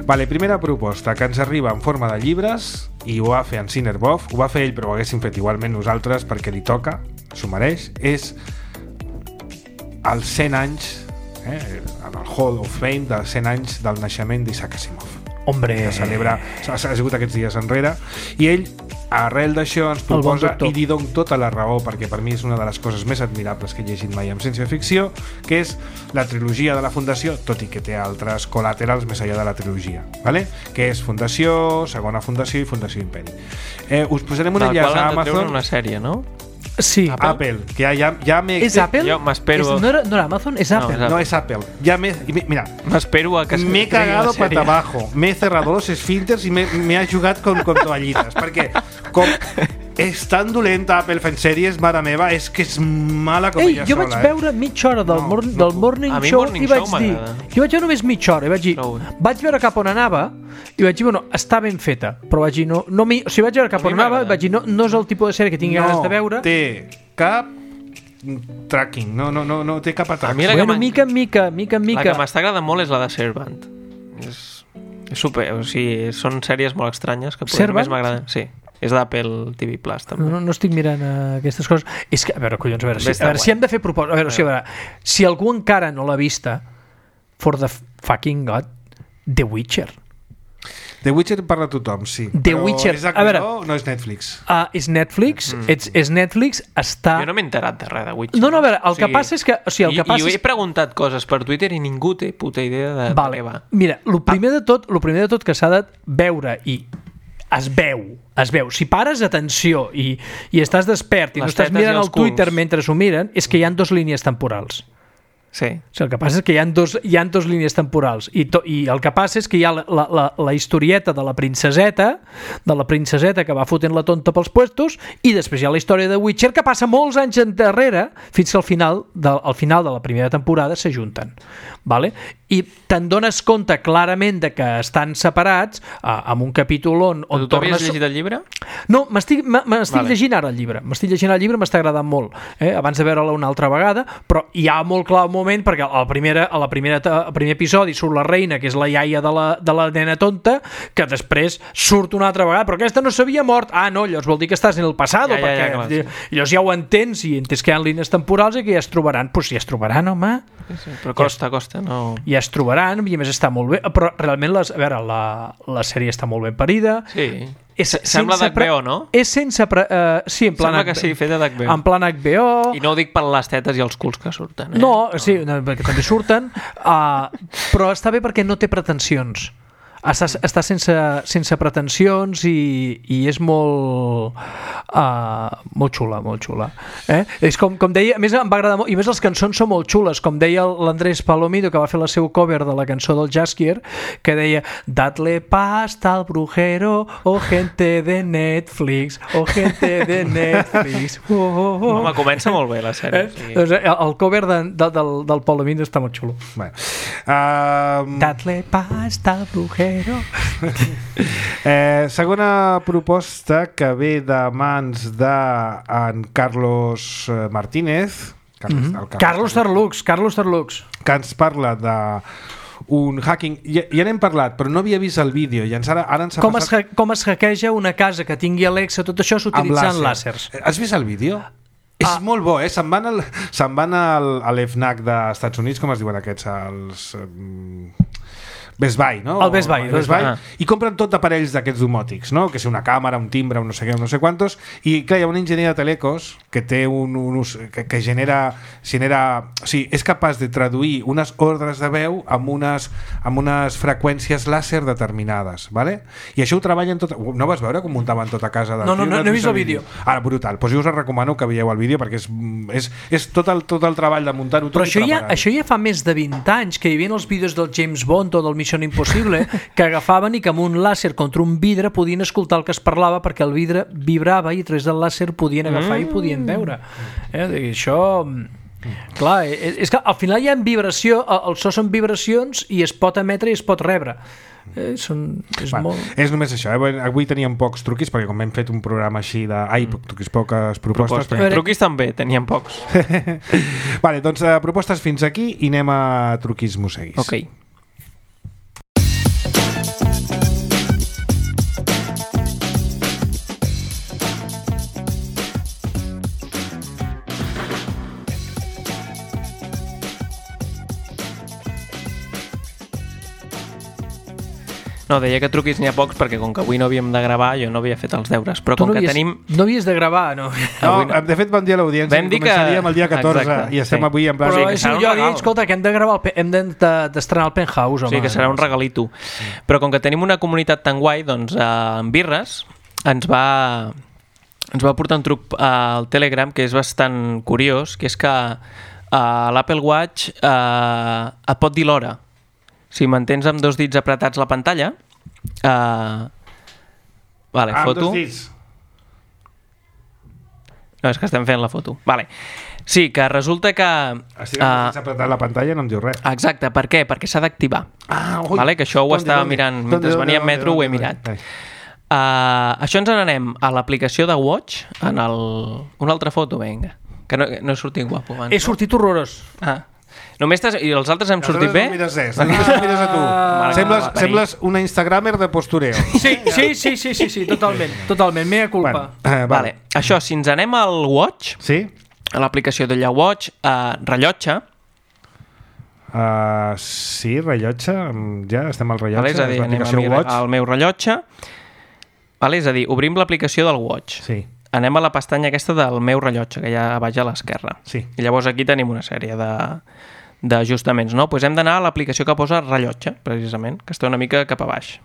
Vale, primera proposta, que ens arriba en forma de llibres i ho va fer en Cinerbov, ho va fer ell però ho haguéssim fet igualment nosaltres perquè li toca, s'ho mereix, és els 100 anys en el Hall of Fame dels 100 anys del naixement d'Isaac Asimov. Hombre, Que celebra, s'ha sigut aquests dies enrere, i ell arrel d'això ens proposa, i li dono tota la raó perquè per mi és una de les coses més admirables que he llegit mai en ciència-ficció, que és la trilogia de la Fundació, tot i que té altres col·laterals més enllà de la trilogia, ¿vale? Que és Fundació, Segona Fundació i Fundació Imperi. Us posarem un enllaç a Amazon. Una sèrie, no? sí. Apple, que ja m'he... És Apple? Jo m'espero... No era Amazon? És Apple. No, es Apple. Mira, m'espero a que me he cagado para abajo, me he cerrado los esfínteres y me ha jugat con toallites, perquè com és tan dolenta Apple fent sèries, mare meva, és que és mala com ella sola. Jo vaig veure mitja hora del Morning Show i vaig dir... Jo vaig veure només mitja hora i vaig dir... Vaig veure cap on anava i vaig dir, bueno, està ben feta, però vaig dir, o sigui, vaig veure cap on anava i vaig dir, no és el tipus de sèrie que tingui ganes de veure. No té cap tracking, no té cap atac. Bueno, mica en mica. La que m'està agradant molt és la de Servant. És super, o sigui, són sèries molt estranyes que potser només m'agraden. Sí. És d'Apple TV Plus, també. No estic mirant aquestes coses. És que, a veure, collons, a veure si hem de fer propòsit. A veure, si algú encara no l'ha vista, for the fucking God, The Witcher. The Witcher parla tothom, sí. The Witcher, és HBO, no és Netflix. És Netflix, és Netflix, està... Jo no m'he enterat de res de Witcher. No, a veure, el que passa és que... O sigui, el que passa I he preguntat coses per Twitter i ningú té puta idea de què va. Mira, el primer de tot que s'ha de veure i es veu. Si pares atenció i estàs despert i no estàs mirant el Twitter mentre s'ho miren, és que hi ha 2 línies temporals. Sí. O sigui, el que passa és que hi ha dos línies temporals i el que passa és que hi ha la historieta de la princeseta que va fotent la tonta pels puestos, i després hi ha la història de Witcher que passa molts anys endarrere fins que al final de la primera temporada s'ajunten, vale? I te'n dones compte clarament de que estan separats amb un capítol on tu havies llegit el llibre? No, m'estic llegint ara el llibre, m'està agradant molt, abans de veure-la una altra vegada, però hi ha molt clar un moment, perquè al primer episodi surt la reina, que és la iaia de la nena tonta, que després surt una altra vegada, però aquesta no s'havia mort. No, llavors vol dir que estàs en el passat, perquè llavors ja ho entens, i entens que hi ha línies temporals i que ja es trobaran. Doncs si ja es trobaran, home. Sí, però costa, no... Ja es trobaran, i a més està molt bé, però realment la sèrie està molt ben parida. Sí. Sembla d'HBO, no? És sense... sí, en plan sembla que sí, feta d'HBO. En plan HBO... I no ho dic per les tetes i els culs que surten. No, sí, perquè també surten, però està bé perquè no té pretensions. Està sense pretensions i és molt xula. És com deia, a més em va agradar molt, i a més les cançons són molt xules, com deia l'Andrés Palomido, que va fer la seu cover de la cançó del Jaskier, que deia: dadle pasta al brujero, gente de Netflix, gente de Netflix. Home, comença molt bé la sèrie. El cover del Palomido està molt xulo. Dadle pasta al brujero. Segona proposta, que ve de mans d'en Carlos Martínez, Carlos Tarlux, que ens parla de un hacking, ja n'hem parlat, però no havia vist el vídeo i ara ens ha passat... Com es hackeja una casa que tingui Alexa, tot això s'utilitzant làsers. Has vist el vídeo? És molt bo, se'n van a l'FNAC dels Estats Units, com es diuen aquests, els... Best Buy, no? El Best Buy. I compren tot d'aparells d'aquests domòtics, no? Que és una càmera, un timbre, un no sé què, no sé quantos, i clar, hi ha un enginyer de telecos que té que genera, o sigui, és capaç de traduir unes ordres de veu amb unes freqüències làser determinades, ¿vale? I això ho treballen tot... No vas veure com muntaven tot a casa? No he vist el vídeo. Brutal. Doncs jo us recomano que veieu el vídeo, perquè és tot el treball de muntar-ho tot. Però això ja fa més de 20 anys, que hi havia els vídeos del James Bond o del Missió Impossible, que agafaven i que amb un làser contra un vidre podien escoltar el que es parlava, perquè el vidre vibrava i a través del làser podien agafar i podien veure. Això... Clar, és que al final hi ha vibració, el so són vibracions i es pot emetre i es pot rebre. És només això, avui teníem pocs truquis, perquè com hem fet un programa així poques propostes. Truquis també, teníem pocs. Vale, doncs propostes fins aquí i anem a truquis mosseguis. Ok. No, deia que truquis n'hi ha pocs perquè com que avui no havíem de gravar jo no havia fet els deures, però com que tenim... No havies de gravar, no? No, de fet vam dir a l'audiència que començaríem el dia 14 i estem avui en plan... Però jo dic, escolta, que hem de gravar, hem d'estrenar el Penthouse, home. Sí, que serà un regalito. Però com que tenim una comunitat tan guai, doncs en Birres ens va portar un truc al Telegram que és bastant curiós, que és que l'Apple Watch et pot dir l'hora. Si mantens amb 2 dits apretats la pantalla... Vale, foto. Amb 2 dits. No, és que estem fent la foto. Vale. Sí, que resulta que... Estic amb 2 dits apretat la pantalla i no em diu res. Exacte, per què? Perquè s'ha d'activar. Vale, que això ho estava mirant. Mentre venia en metro ho he mirat. Això ens n'anem a l'aplicació de Watch, en una altra foto, vinga. Que no he sortit guapo abans. He sortit horrorós. Només i els altres hem sortit bé? No mires res, només mires a tu. Sembles una instagramer de postureo. Sí, totalment, mea culpa. Vale. Això, si ens anem al Watch, a l'aplicació de la Watch, rellotge. Sí, rellotge, ja estem al rellotge. És a dir, anem al meu rellotge. És a dir, obrim l'aplicació del Watch. Sí. Anem a la pestanya aquesta del meu rellotge, que hi ha a baix a l'esquerra. Sí. I llavors aquí tenim una sèrie d'ajustaments, no? Doncs hem d'anar a l'aplicació que posa rellotge, precisament, que està una mica cap a baix.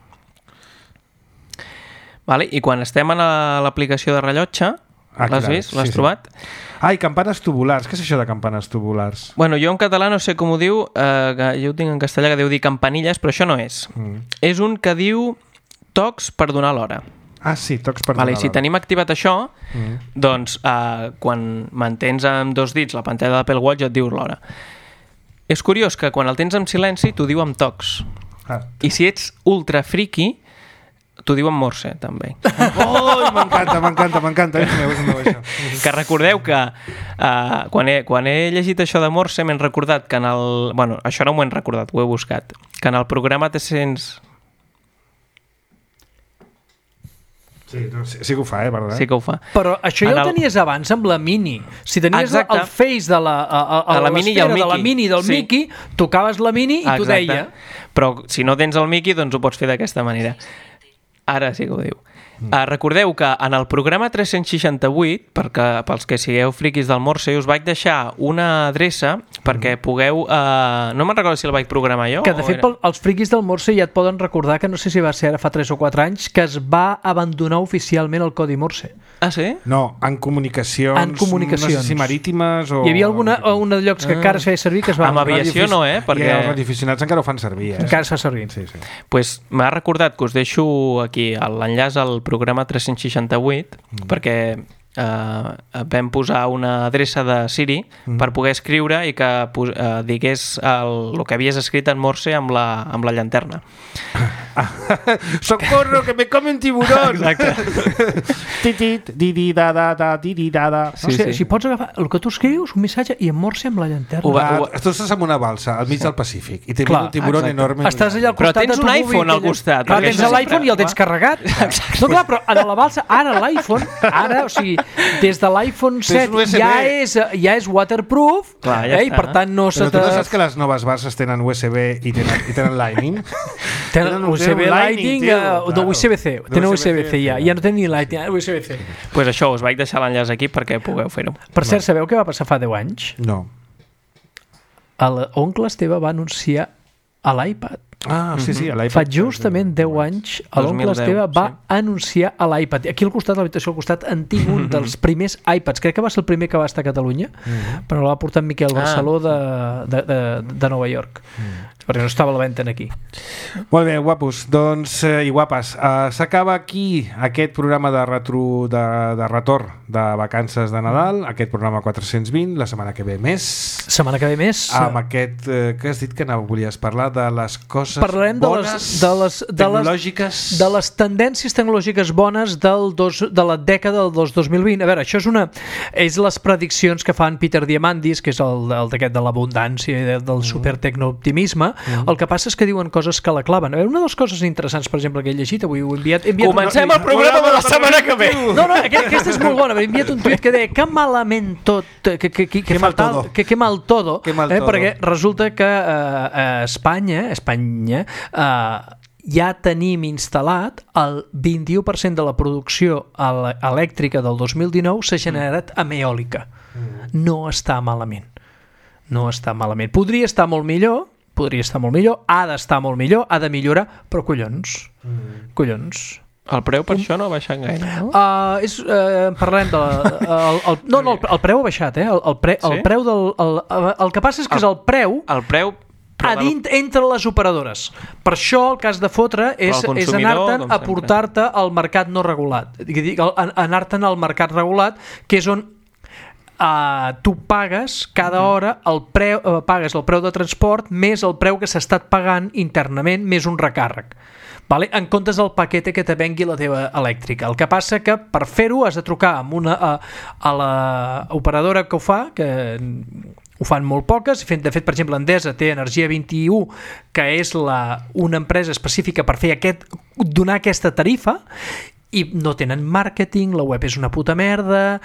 I quan estem a l'aplicació de rellotge, l'has vist? L'has trobat? I campanes tubulars. Què és això de campanes tubulars? Bueno, jo en català no sé com ho diu, jo ho tinc en castellà que deu dir campanilles, però això no és. És un que diu tocs per donar l'hora. Sí, tocs per donar l'hora. I si tenim activat això, doncs quan mantens amb 2 dits la pantalla de l'Apple Watch et diu l'hora. És curiós que quan el tens en silenci t'ho diu amb tocs. I si ets ultra friki, t'ho diu en morse, també. M'encanta. És meu, això. Que recordeu que quan he llegit això de morse m'he recordat que en el... Bueno, això no m'ho he recordat, ho he buscat. Que en el programa 300... Sí que ho fa, verdad? Sí que ho fa. Però això ja ho tenies abans amb la Mini. Si tenies el Face de la Mini i el Mickey. De la Mini del Mickey, tocaves la Mini i t'ho deia. Però si no tens el Mickey, doncs ho pots fer d'aquesta manera. Ara sí que ho diu. Recordeu que en el programa 368, pels que sigueu friquis del Morse, us vaig deixar una adreça perquè pugueu... no me'n recordo si el vaig programar jo. Que de fet els friquis del Morse ja et poden recordar que no sé si va ser ara fa 3 o 4 anys que es va abandonar oficialment el codi Morse. Ah, sí? No, en comunicacions. No sé si marítimes o... Hi havia un de llocs que encara es feia servir que es va... Amb aviació no, perquè... I els radioaficionats encara ho fan servir, Encara es fa servir. Sí. Pues m'ha recordat que us deixo aquí l'enllaç al programa 368 perquè vam posar una adreça de Siri per poder escriure i que digués el que havies escrit en Morse amb la llanterna. Socorro, que me come un tiburón! Exacte. Didi-dada. Si pots agafar el que tu escrius, un missatge, i en Morse amb la llanterna. Tu estàs en una balsa al mig del Pacífic i tens un tiburón enorme. Estàs allà al costat. Però tens un iPhone al costat. Clar, tens l'iPhone i el tens carregat. No, clar, però a la balsa, ara l'iPhone, o sigui, des de l'iPhone 7 ja és waterproof, i per tant no se Però tu no saps que les noves balses tenen USB i tenen Lightning? Tenen USB Lightning, USB-C, tenen USB-C ja no tenen ni Lightning, USB-C. Pues això, us vaig deixar l'enllaç aquí perquè pugueu fer-ho. Per cert, sabeu què va passar fa 10 anys? No. L'oncle Esteve va anunciar a l'iPad. Sí, a l'iPad. Fa justament 10 anys l'oncle Esteve va anunciar a l'iPad. Aquí al costat, a l'habitació al costat, en tinc un dels primers iPads. Crec que va ser el primer que va estar a Catalunya, però l'ha portat Miquel Barceló de Nova York. Perquè no estava a la venda aquí. Molt bé, guapos. Doncs, i guapes, s'acaba aquí aquest programa de retorn de vacances de Nadal, aquest programa 420, la setmana que ve més. Amb aquest que has dit que volies parlar de les coses bones tecnològiques. De les tendències tecnològiques bones de la dècada del 2020. A veure, això és les prediccions que fan Peter Diamandis, que és el d'aquest de l'abundància i del supertecnooptimisme. El que passa és que diuen coses que la claven. A veure, una de les coses interessants, per exemple, que he llegit avui, ho he enviat... Comencem el programa de la setmana que ve! No, aquesta és molt bona. He enviat un tuit que deia que malament tot, que mal todo, perquè resulta que a Espanya ja tenim instal·lat el 21% de la producció elèctrica del 2019 s'ha generat amb eòlica. No està malament. No està malament. Podria estar molt millor, ha d'estar molt millor, ha de millorar, però collons. El preu per això no ha baixat gaire, no? Parlem de... el preu ha baixat, el preu del... El que passa és que és el preu... El preu... entre les operadores. Per això el cas de fotre és anar-te'n a portar-te al mercat no regulat. Anar-te'n al mercat regulat, que és on tu pagues cada hora pagues el preu de transport més el preu que s'ha estat pagant internament més un recàrrec. Vale? En comptes del paquete que te vengui la teva elèctrica. El que passa que per fer-ho has de trucar a l'operadora que ho fa, que ho fan molt poques. De fet, per exemple, Endesa té Energia 21, que és una empresa específica per donar aquesta tarifa, i no tenen màrqueting, la web és una puta merda,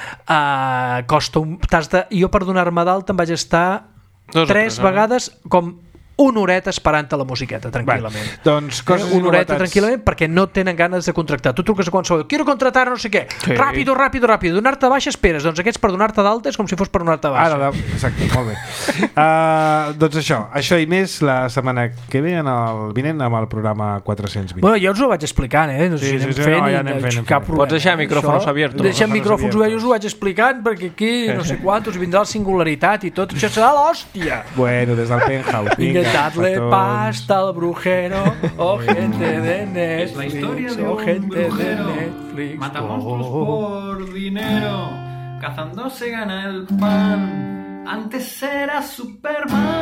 costa jo per donar-me d'alta em vaig estar 3 vegades com una horeta esperant la musiqueta, tranquil·lament. Doncs una horeta tranquil·lament perquè no tenen ganes de contractar. Tu truques a qualsevol, quiero contratar no sé què, ràpido, donar-te baixa esperes, doncs aquests per donar-te d'alta és com si fos per donar-te baixa. Exacte, molt bé. Doncs això i més la setmana que ve vinent amb el programa 420. Bueno, jo us ho vaig explicant, no sé si anem fent, cap problema. Pots deixar micròfons oberts. Deixa micròfons oberts, us ho vaig explicant perquè aquí no sé quantos vindrà la singularitat i tot, això serà l'hòstia. Bueno, des del penthouse, vinga. Dadle pasta al brujero, gente de Netflix, la historia de gente un brujero, de Netflix. Mata monstruos por dinero, cazando se gana el pan. Antes era Superman.